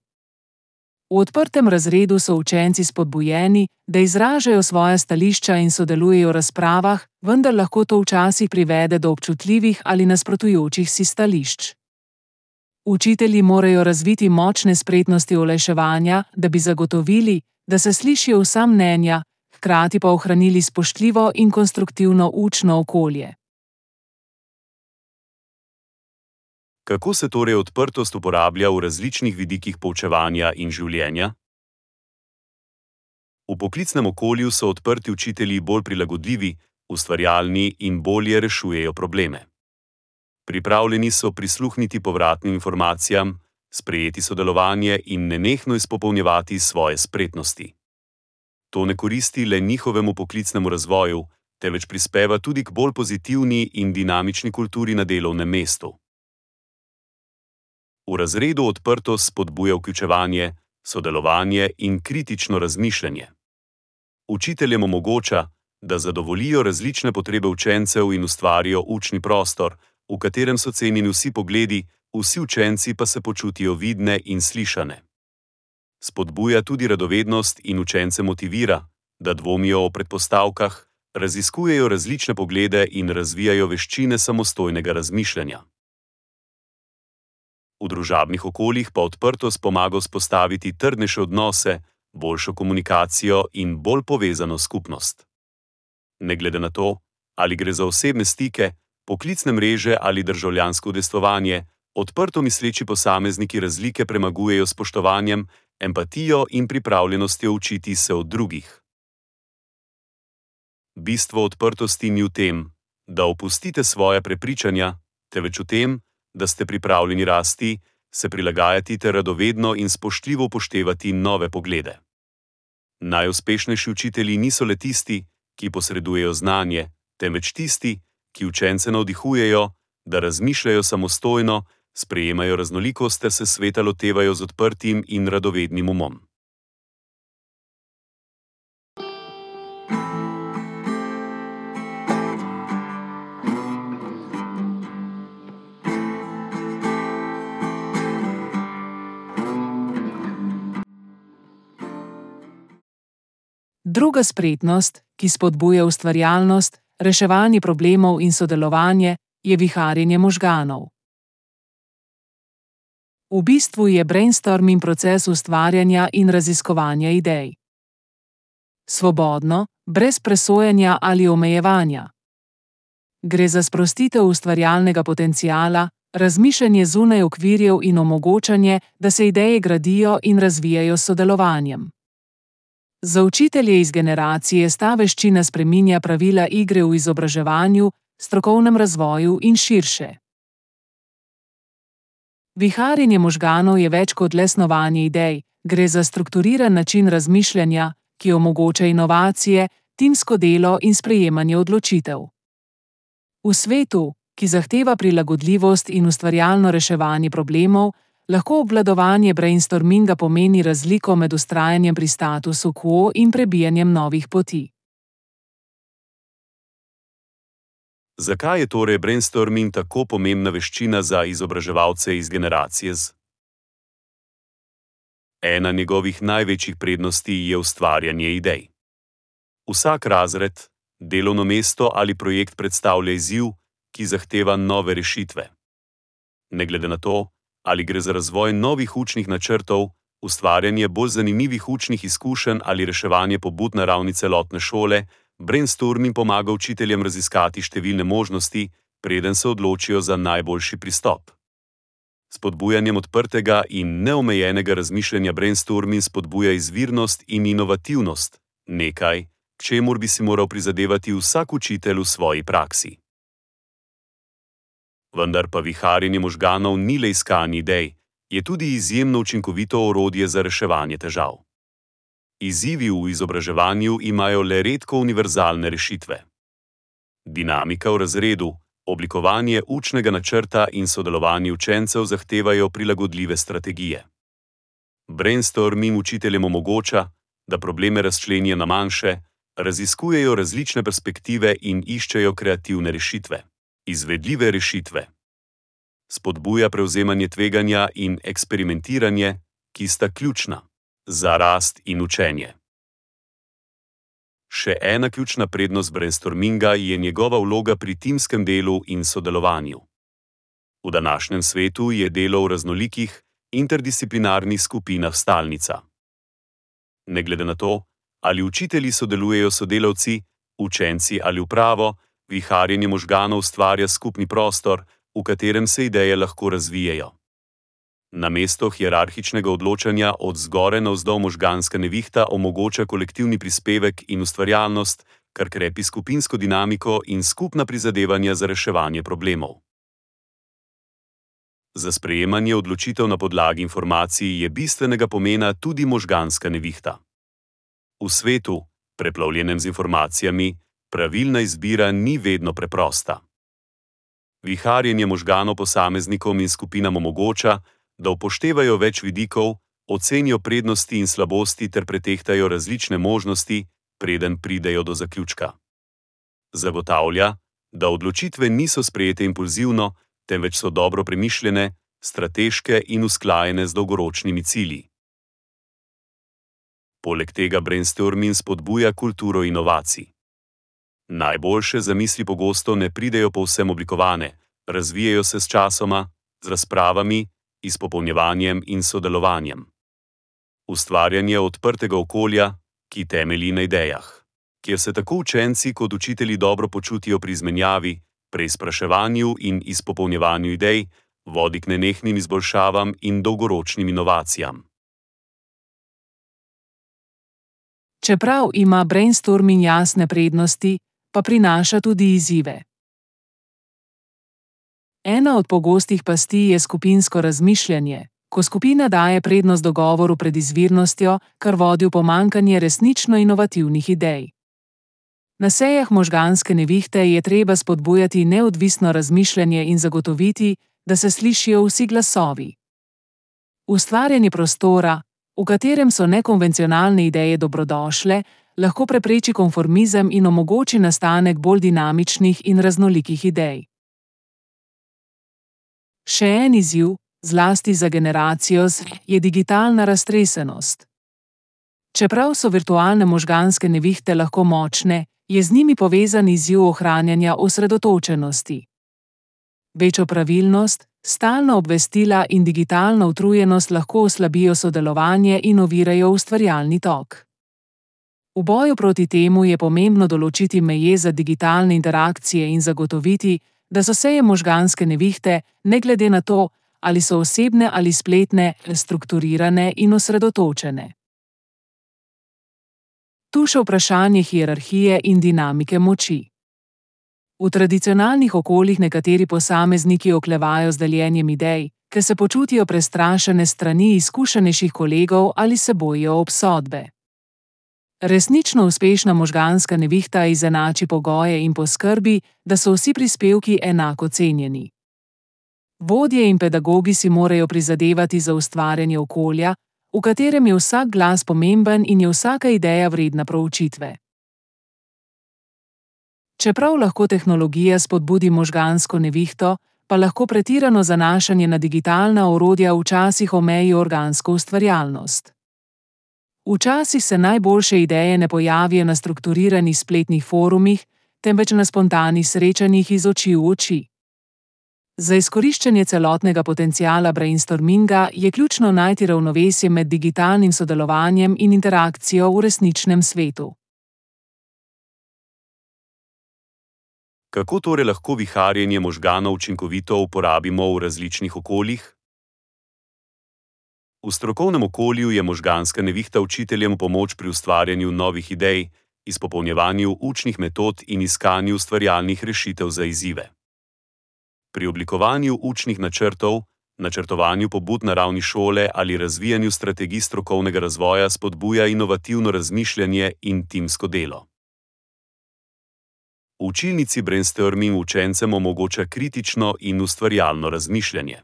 V odprtem razredu so učenci spodbujeni, da izražajo svoja stališča in sodelujejo v razpravah, vendar lahko to včasih privede do občutljivih ali nasprotujočih si stališč. Učitelji morajo razviti močne spretnosti olajševanja, da bi zagotovili, da se slišijo vsa mnenja, hkrati pa ohranili spoštljivo in konstruktivno učno okolje. Kako se torej odprtost uporablja v različnih vidikih poučevanja in življenja? V poklicnem okolju so odprti učitelji bolj prilagodljivi, ustvarjalni in bolje rešujejo probleme. Pripravljeni so prisluhniti povratnim informacijam, sprejeti sodelovanje in nenehno izpopolnjevati svoje spretnosti. To ne koristi le njihovemu poklicnemu razvoju, temveč prispeva tudi k bolj pozitivni in dinamični kulturi na delovnem mestu. V razredu odprtost spodbuja vključevanje, sodelovanje in kritično razmišljanje. Učiteljem omogoča, da zadovoljijo različne potrebe učencev in ustvarijo učni prostor, v katerem so cenjeni vsi pogledi, vsi učenci pa se počutijo vidne in slišane. Spodbuja tudi radovednost in učence motivira, da dvomijo o predpostavkah, Raziskujejo različne poglede in razvijajo veščine samostojnega razmišljanja. V družabnih okoljih pa odprtost pomaga vzpostaviti trdnejše odnose, boljšo komunikacijo in bolj povezano skupnost. Ne glede na to, ali gre za osebne stike, poklicne mreže ali državljansko udejstvovanje, odprto misleči posamezniki razlike premagujejo s spoštovanjem, empatijo in pripravljenostjo učiti se od drugih. Bistvo odprtosti ni v tem, da opustite svoja prepričanja, temveč v tem, da ste pripravljeni rasti, se prilagajati ter radovedno in spoštljivo upoštevati nove poglede. Najuspešnejši učitelji niso le tisti, ki posredujejo znanje, temveč tisti, ki učence navdihujejo, da razmišljajo samostojno, sprejemajo raznolikost ter se sveta lotevajo z odprtim in radovednim umom. Druga spretnost, ki spodbuja ustvarjalnost, reševanje problemov in sodelovanje, je viharjenje možganov. V bistvu je brainstorming proces ustvarjanja in raziskovanja idej. Svobodno, brez presojanja ali omejevanja. Gre za sprostitev ustvarjalnega potenciala, razmišljanje zunaj okvirjev in omogočanje, da se ideje gradijo in razvijajo s sodelovanjem. Za učitelje iz generacije sta veščina spreminja pravila igre v izobraževanju, strokovnem razvoju in širše. Viharjenje možganov je več kot le snovanje idej, gre za strukturiran način razmišljanja, ki omogoča inovacije, timsko delo in sprejemanje odločitev. V svetu, ki zahteva prilagodljivost in ustvarjalno reševanje problemov, lahko obvladovanje brainstorminga pomeni razliko med vztrajanjem pri statusu quo in prebijanjem novih poti. Zakaj je torej brainstorming tako pomembna veščina za izobraževalce iz generacije Z? Ena njegovih največjih prednosti je ustvarjanje idej. Vsak razred, delovno mesto ali projekt predstavlja izziv, ki zahteva nove rešitve. Ne glede na to, ali gre za razvoj novih učnih načrtov, ustvarjanje bolj zanimivih učnih izkušenj ali reševanje pobud na ravni celotne šole, brainstorming pomaga učiteljem raziskati številne možnosti, preden se odločijo za najboljši pristop. S spodbujanjem odprtega in neomejenega razmišljanja brainstorming spodbuja izvirnost in inovativnost, nekaj, k čemur bi si moral prizadevati vsak učitelj v svoji praksi. Vendar pa viharjenje možganov ni le iskanje idej, je tudi izjemno učinkovito orodje za reševanje težav. Izzivi v izobraževanju imajo le redko univerzalne rešitve. Dinamika v razredu, oblikovanje učnega načrta in sodelovanje učencev zahtevajo prilagodljive strategije. Brainstorming učiteljem omogoča, da probleme razčlenijo na manjše, raziskujejo različne perspektive in iščejo kreativne rešitve. Izvedljive rešitve. Spodbuja prevzemanje tveganja in eksperimentiranje, ki sta ključna za rast in učenje. Še ena ključna prednost brainstorminga je njegova vloga pri timskem delu in sodelovanju. V današnjem svetu je delo v raznolikih, interdisciplinarnih skupinah stalnica. Ne glede na to, ali učitelji sodelujejo s sodelavci, učenci ali upravo, viharjenje možganov ustvarja skupni prostor, v katerem se ideje lahko razvijejo. Namesto hierarhičnega odločanja od zgoraj navzdol možganska nevihta omogoča kolektivni prispevek in ustvarjalnost, kar krepi skupinsko dinamiko in skupna prizadevanja za reševanje problemov. Za sprejemanje odločitev na podlagi informacij je bistvenega pomena tudi možganska nevihta. V svetu, preplavljenem z informacijami, pravilna izbira ni vedno preprosta. Viharjenje možganov posameznikom in skupinam omogoča, da upoštevajo več vidikov, ocenijo prednosti in slabosti ter pretehtajo različne možnosti, preden pridejo do zaključka. Zagotavlja, da odločitve niso sprejete impulzivno, temveč so dobro premišljene, strateške in usklajene z dolgoročnimi cilji. Poleg tega brainstorming spodbuja kulturo inovacij. Najboljše zamisli pogosto ne pridejo povsem oblikovane, razvijajo se s časoma, z razpravami, izpopolnjevanjem in sodelovanjem. Ustvarjanje odprtega okolja, ki temelji na idejah, kjer se tako učenci kot učitelji dobro počutijo pri izmenjavi, preizpraševanju in izpopolnjevanju idej, vodi k nenehnim izboljšavam in dolgoročnim inovacijam. Čeprav ima brainstorming jasne prednosti, pa prinaša tudi izzive. Ena od pogostih pasti je skupinsko razmišljanje, ko skupina daje prednost dogovoru pred izvirnostjo, kar vodi v pomanjkanje resnično inovativnih idej. Na sejah možganske nevihte je treba spodbujati neodvisno razmišljanje in zagotoviti, da se slišijo vsi glasovi. Ustvarjanje prostora, v katerem so nekonvencionalne ideje dobrodošle, lahko prepreči konformizem in omogoči nastanek bolj dinamičnih in raznolikih idej. Še en izziv, zlasti za generacijo Z, je digitalna raztresenost. Čeprav so virtualne možganske nevihte lahko močne, je z njimi povezan izziv ohranjanja osredotočenosti. Večjo pravilnost, stalna obvestila in digitalna utrujenost lahko oslabijo sodelovanje in ovirajo ustvarjalni tok. V boju proti temu je pomembno določiti meje za digitalne interakcije in zagotoviti, da so seje možganske nevihte, ne glede na to, ali so osebne ali spletne, strukturirane in osredotočene. Tu še vprašanje hierarhije in dinamike moči. V tradicionalnih okoljih nekateri posamezniki oklevajo z deljenjem idej, ker se počutijo prestrašene strani izkušenejših kolegov ali se bojijo obsodbe. Resnično uspešna možganska nevihta izenači pogoje in poskrbi, da so vsi prispevki enako cenjeni. Vodje in pedagogi si morajo prizadevati za ustvarjanje okolja, v katerem je vsak glas pomemben in je vsaka ideja vredna proučitve. Čeprav lahko tehnologija spodbudi možgansko nevihto, pa lahko pretirano zanašanje na digitalna orodja včasih omeji organsko ustvarjalnost. Včasih se najboljše ideje ne pojavijo na strukturiranih spletnih forumih, temveč na spontanih srečanjih iz oči v oči. Za izkoriščanje celotnega potenciala brainstorminga je ključno najti ravnovesje med digitalnim sodelovanjem in interakcijo v resničnem svetu. Kako torej lahko viharjenje možganov učinkovito uporabimo v različnih okoljih? V strokovnem okolju je možganska nevihta učiteljem v pomoč pri ustvarjanju novih idej, izpopolnjevanju učnih metod in iskanju ustvarjalnih rešitev za izzive. Pri oblikovanju učnih načrtov, načrtovanju pobud na ravni šole ali razvijanju strategij strokovnega razvoja spodbuja inovativno razmišljanje in timsko delo. V učilnici brainstorming učencem omogoča kritično in ustvarjalno razmišljanje.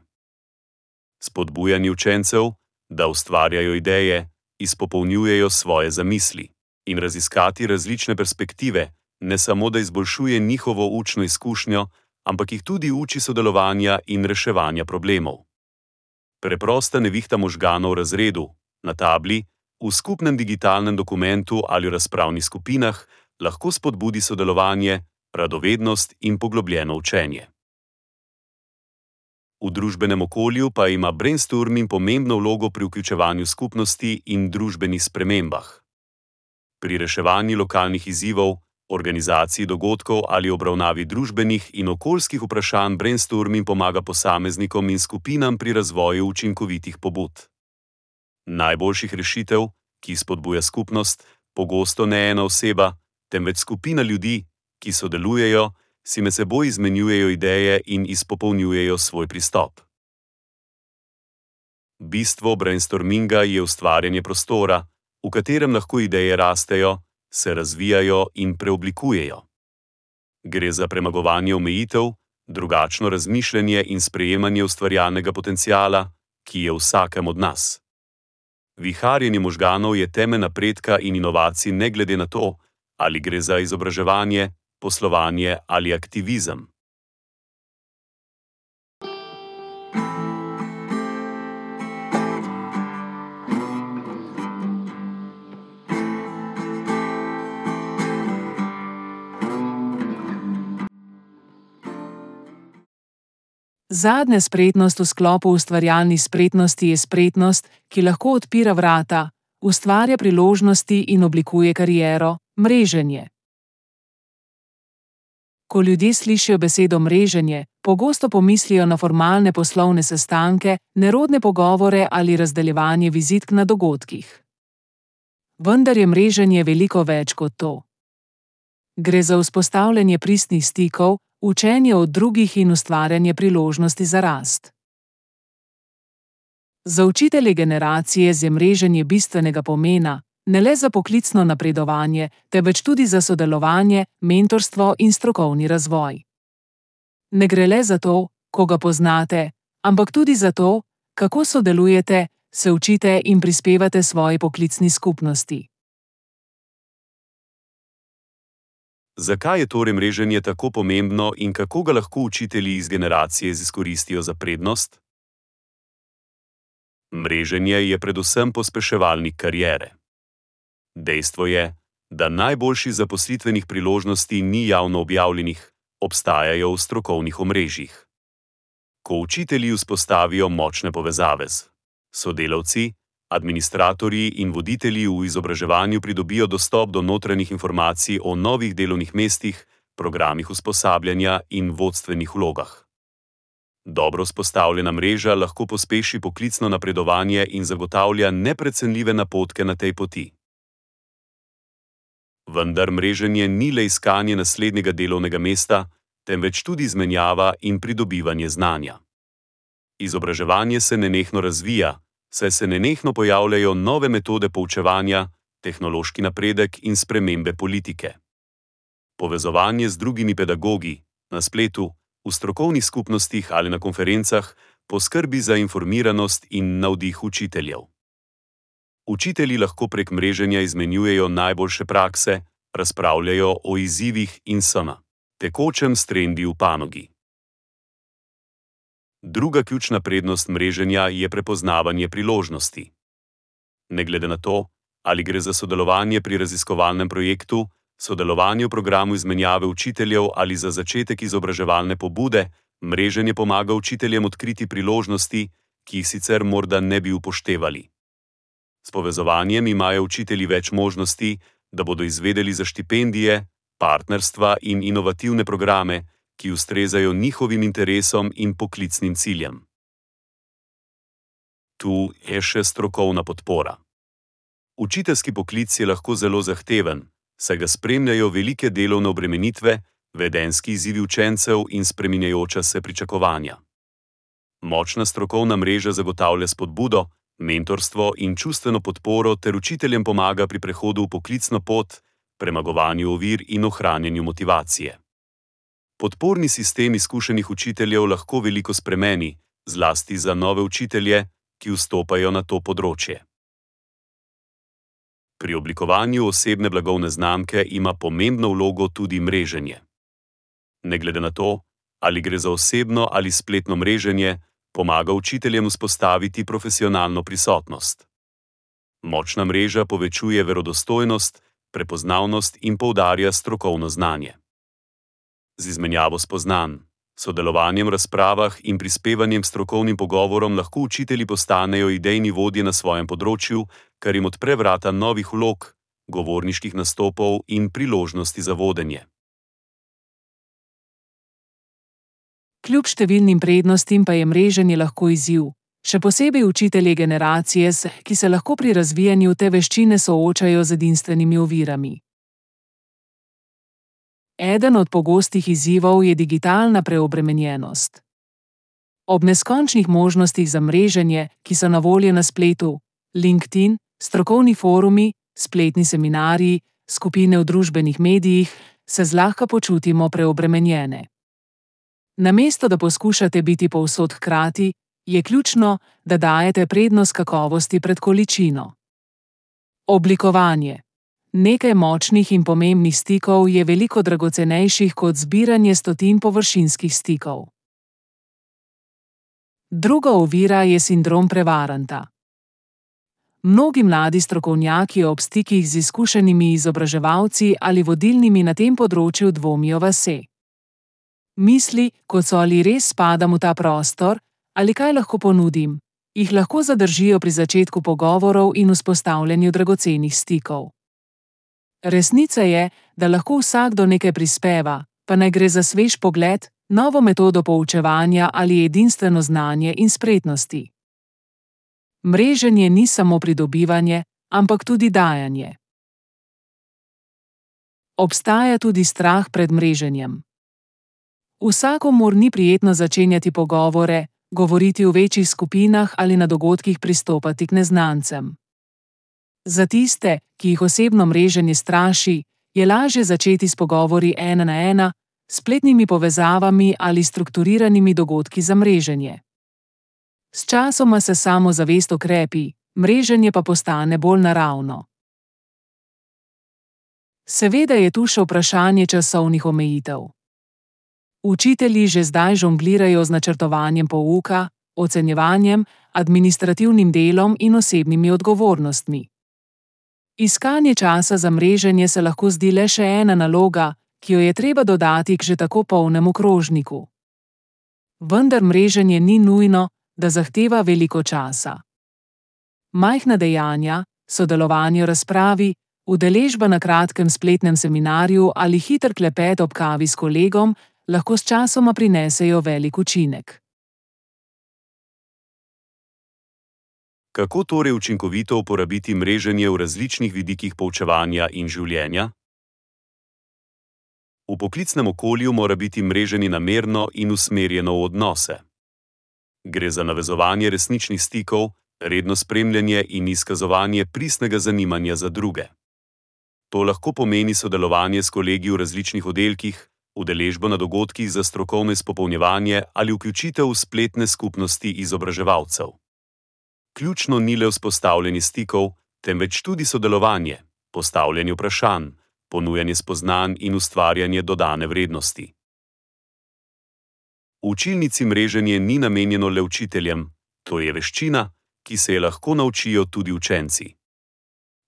Spodbujanje učencev, da ustvarjajo ideje, izpopolnjujejo svoje zamisli in raziskati različne perspektive, ne samo da izboljšuje njihovo učno izkušnjo, ampak jih tudi uči sodelovanja in reševanja problemov. Preprosta nevihta možganov v razredu, na tabli, v skupnem digitalnem dokumentu ali v razpravnih skupinah lahko spodbudi sodelovanje, radovednost in poglobljeno učenje. V družbenem okolju pa ima brainstorming pomembno vlogo pri vključevanju skupnosti in družbenih spremembah. Pri reševanju lokalnih izzivov, organizaciji dogodkov ali obravnavi družbenih in okoljskih vprašanj brainstorming pomaga posameznikom in skupinam pri razvoju učinkovitih pobud. Najboljših rešitev, ki spodbuja skupnost, pogosto ne ena oseba, temveč skupina ljudi, ki sodelujejo, si med seboj izmenjujejo ideje in izpopolnjujejo svoj pristop. Bistvo brainstorminga je ustvarjanje prostora, v katerem lahko ideje rastejo, se razvijajo in preoblikujejo. Gre za premagovanje omejitev, drugačno razmišljanje in sprejemanje ustvarjalnega potenciala, ki je v vsakem od nas. Viharjenje možganov je temelj napredka in inovacij ne glede na to, ali gre za izobraževanje, poslovanje ali aktivizem. Zadnja spretnost v sklopu ustvarjalnih spretnosti je spretnost, ki lahko odpira vrata, ustvarja priložnosti in oblikuje kariero, mreženje. Ko ljudje slišijo besedo mreženje, pogosto pomislijo na formalne poslovne sestanke, nerodne pogovore ali razdeljevanje vizitk na dogodkih. Vendar je mreženje veliko več kot to. Gre za vzpostavljanje pristnih stikov, učenje od drugih in ustvarjanje priložnosti za rast. Za učitelje generacije je mreženje bistvenega pomena, ne le za poklicno napredovanje, temveč tudi za sodelovanje, mentorstvo in strokovni razvoj. Ne gre le za to, koga poznate, ampak tudi za to, kako sodelujete, se učite in prispevate svoji poklicni skupnosti. Zakaj je torej mreženje tako pomembno in kako ga lahko učitelji iz generacije izkoristijo za prednost? Mreženje je predvsem pospeševalnik kariere. Dejstvo je, da najboljših zaposlitvenih priložnosti ni javno objavljenih, obstajajo v strokovnih omrežjih. Ko učitelji vzpostavijo močne povezave z sodelavci, administratorji in voditelji v izobraževanju pridobijo dostop do notranjih informacij o novih delovnih mestih, programih usposabljanja in vodstvenih vlogah. Dobro vzpostavljena mreža lahko pospeši poklicno napredovanje in zagotavlja neprecenljive napotke na tej poti. Vendar mreženje ni le iskanje naslednjega delovnega mesta, temveč tudi izmenjava in pridobivanje znanja. Izobraževanje se nenehno razvija, saj se nenehno pojavljajo nove metode poučevanja, tehnološki napredek in spremembe politike. Povezovanje z drugimi pedagogi, na spletu, v strokovnih skupnostih ali na konferencah poskrbi za informiranost in navdih učiteljev. Učitelji lahko prek mreženja izmenjujejo najboljše prakse, razpravljajo o izzivih in so na tekočem s trendi v panogi. Druga ključna prednost mreženja je prepoznavanje priložnosti. Ne glede na to, ali gre za sodelovanje pri raziskovalnem projektu, sodelovanje v programu izmenjave učiteljev ali za začetek izobraževalne pobude, mreženje pomaga učiteljem odkriti priložnosti, ki jih sicer morda ne bi upoštevali. S povezovanjem imajo učitelji več možnosti, da bodo izvedeli za štipendije, partnerstva in inovativne programe, ki ustrezajo njihovim interesom in poklicnim ciljem. Tu je še strokovna podpora. Učiteljski poklic je lahko zelo zahteven, saj ga spremljajo velike delovne obremenitve, vedenjski izzivi učencev in spreminjajoča se pričakovanja. Močna strokovna mreža zagotavlja spodbudo, mentorstvo in čustveno podporo ter učiteljem pomaga pri prehodu v poklicno pot, premagovanju ovir in ohranjanju motivacije. Podporni sistem izkušenih učiteljev lahko veliko spremeni, zlasti za nove učitelje, ki vstopajo na to področje. Pri oblikovanju osebne blagovne znamke ima pomembno vlogo tudi mreženje. Ne glede na to, ali gre za osebno ali spletno mreženje, pomaga učiteljem vzpostaviti profesionalno prisotnost. Močna mreža povečuje verodostojnost, prepoznavnost in poudarja strokovno znanje. Z izmenjavo spoznanj, sodelovanjem v razpravah in prispevanjem strokovnim pogovorom lahko učitelji postanejo idejni vodje na svojem področju, kar jim odpre vrata novih vlog, govorniških nastopov in priložnosti za vodenje. Kljub številnim prednostim pa je mreženje lahko izziv, še posebej učitelji generacije, ki se lahko pri razvijanju te veščine soočajo z edinstvenimi ovirami. Eden od pogostih izzivov je digitalna preobremenjenost. Ob neskončnih možnostih za mreženje, ki so na voljo na spletu, LinkedIn, strokovni forumi, spletni seminarji, skupine v družbenih medijih, se zlahka počutimo preobremenjene. Namesto da poskušate biti povsod hkrati, je ključno, da dajete prednost kakovosti pred količino. Oblikovanje. Nekaj močnih in pomembnih stikov je veliko dragocenejših kot zbiranje stotin površinskih stikov. Druga ovira je sindrom prevaranta. Mnogi mladi strokovnjaki ob stikih z izkušenimi izobraževalci ali vodilnimi na tem področju dvomijo vase. Misli, kot so ali res spadam v ta prostor, ali kaj lahko ponudim, jih lahko zadržijo pri začetku pogovorov in vzpostavljanju dragocenih stikov. Resnica je, da lahko vsakdo nekaj prispeva, pa naj gre za svež pogled, novo metodo poučevanja ali edinstveno znanje in spretnosti. Mreženje ni samo pridobivanje, ampak tudi dajanje. Obstaja tudi strah pred mreženjem. Vsakomur ni prijetno začenjati pogovore, govoriti v večjih skupinah ali na dogodkih pristopati k neznancem. Za tiste, ki jih osebno mreženje straši, je lažje začeti s pogovori ena na ena, spletnimi povezavami ali strukturiranimi dogodki za mreženje. S časoma se samozavest okrepi, mreženje pa postane bolj naravno. Seveda je tu še vprašanje časovnih omejitev. Učitelji že zdaj žonglirajo z načrtovanjem pouka, ocenjevanjem, administrativnim delom in osebnimi odgovornostmi. Iskanje časa za mreženje se lahko zdi le še ena naloga, ki jo je treba dodati k že tako polnemu krožniku. Vendar mreženje ni nujno, da zahteva veliko časa. Majhna dejanja, sodelovanje v razpravi, udeležba na kratkem spletnem seminarju ali hiter klepet ob kavi s kolegom lahko s časoma prinesejo velik učinek. Kako torej učinkovito uporabiti mreženje v različnih vidikih poučevanja in življenja? V poklicnem okolju mora biti mreženje namerno in usmerjeno v odnose. Gre za navezovanje resničnih stikov, redno spremljanje in izkazovanje pristnega zanimanja za druge. To lahko pomeni sodelovanje s kolegi v različnih oddelkih, udeležbo na dogodkih za strokovno izpopolnjevanje ali vključitev v spletne skupnosti izobraževalcev. Ključno ni le vzpostavljanje stikov, temveč tudi sodelovanje, postavljanje vprašanj, ponujanje spoznanj in ustvarjanje dodane vrednosti. V učilnici mreženje ni namenjeno le učiteljem, to je veščina, ki se je lahko naučijo tudi učenci.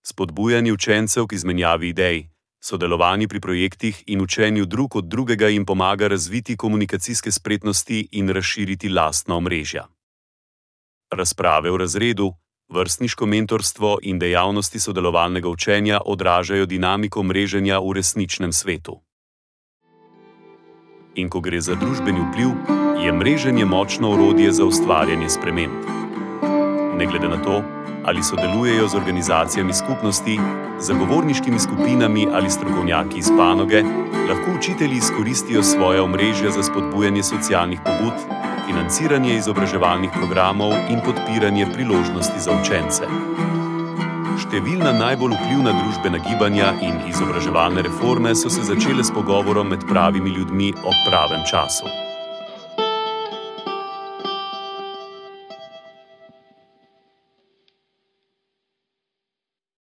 Spodbujanje učencev k izmenjavi idej, sodelovanje pri projektih in učenju drug od drugega jim pomaga razviti komunikacijske spretnosti in razširiti lastna omrežja. Razprave v razredu, vrstniško mentorstvo in dejavnosti sodelovalnega učenja odražajo dinamiko mreženja v resničnem svetu. In ko gre za družbeni vpliv, je mreženje močno orodje za ustvarjanje sprememb. Ne glede na to, ali sodelujejo z organizacijami skupnosti, zagovorniškimi skupinami ali strokovnjaki iz panoge, lahko učitelji izkoristijo svoja omrežja za spodbujanje socialnih pobud, financiranje izobraževalnih programov in podpiranje priložnosti za učence. Številna najbolj vplivna družbena gibanja in izobraževalne reforme so se začele s pogovorom med pravimi ljudmi ob pravem času.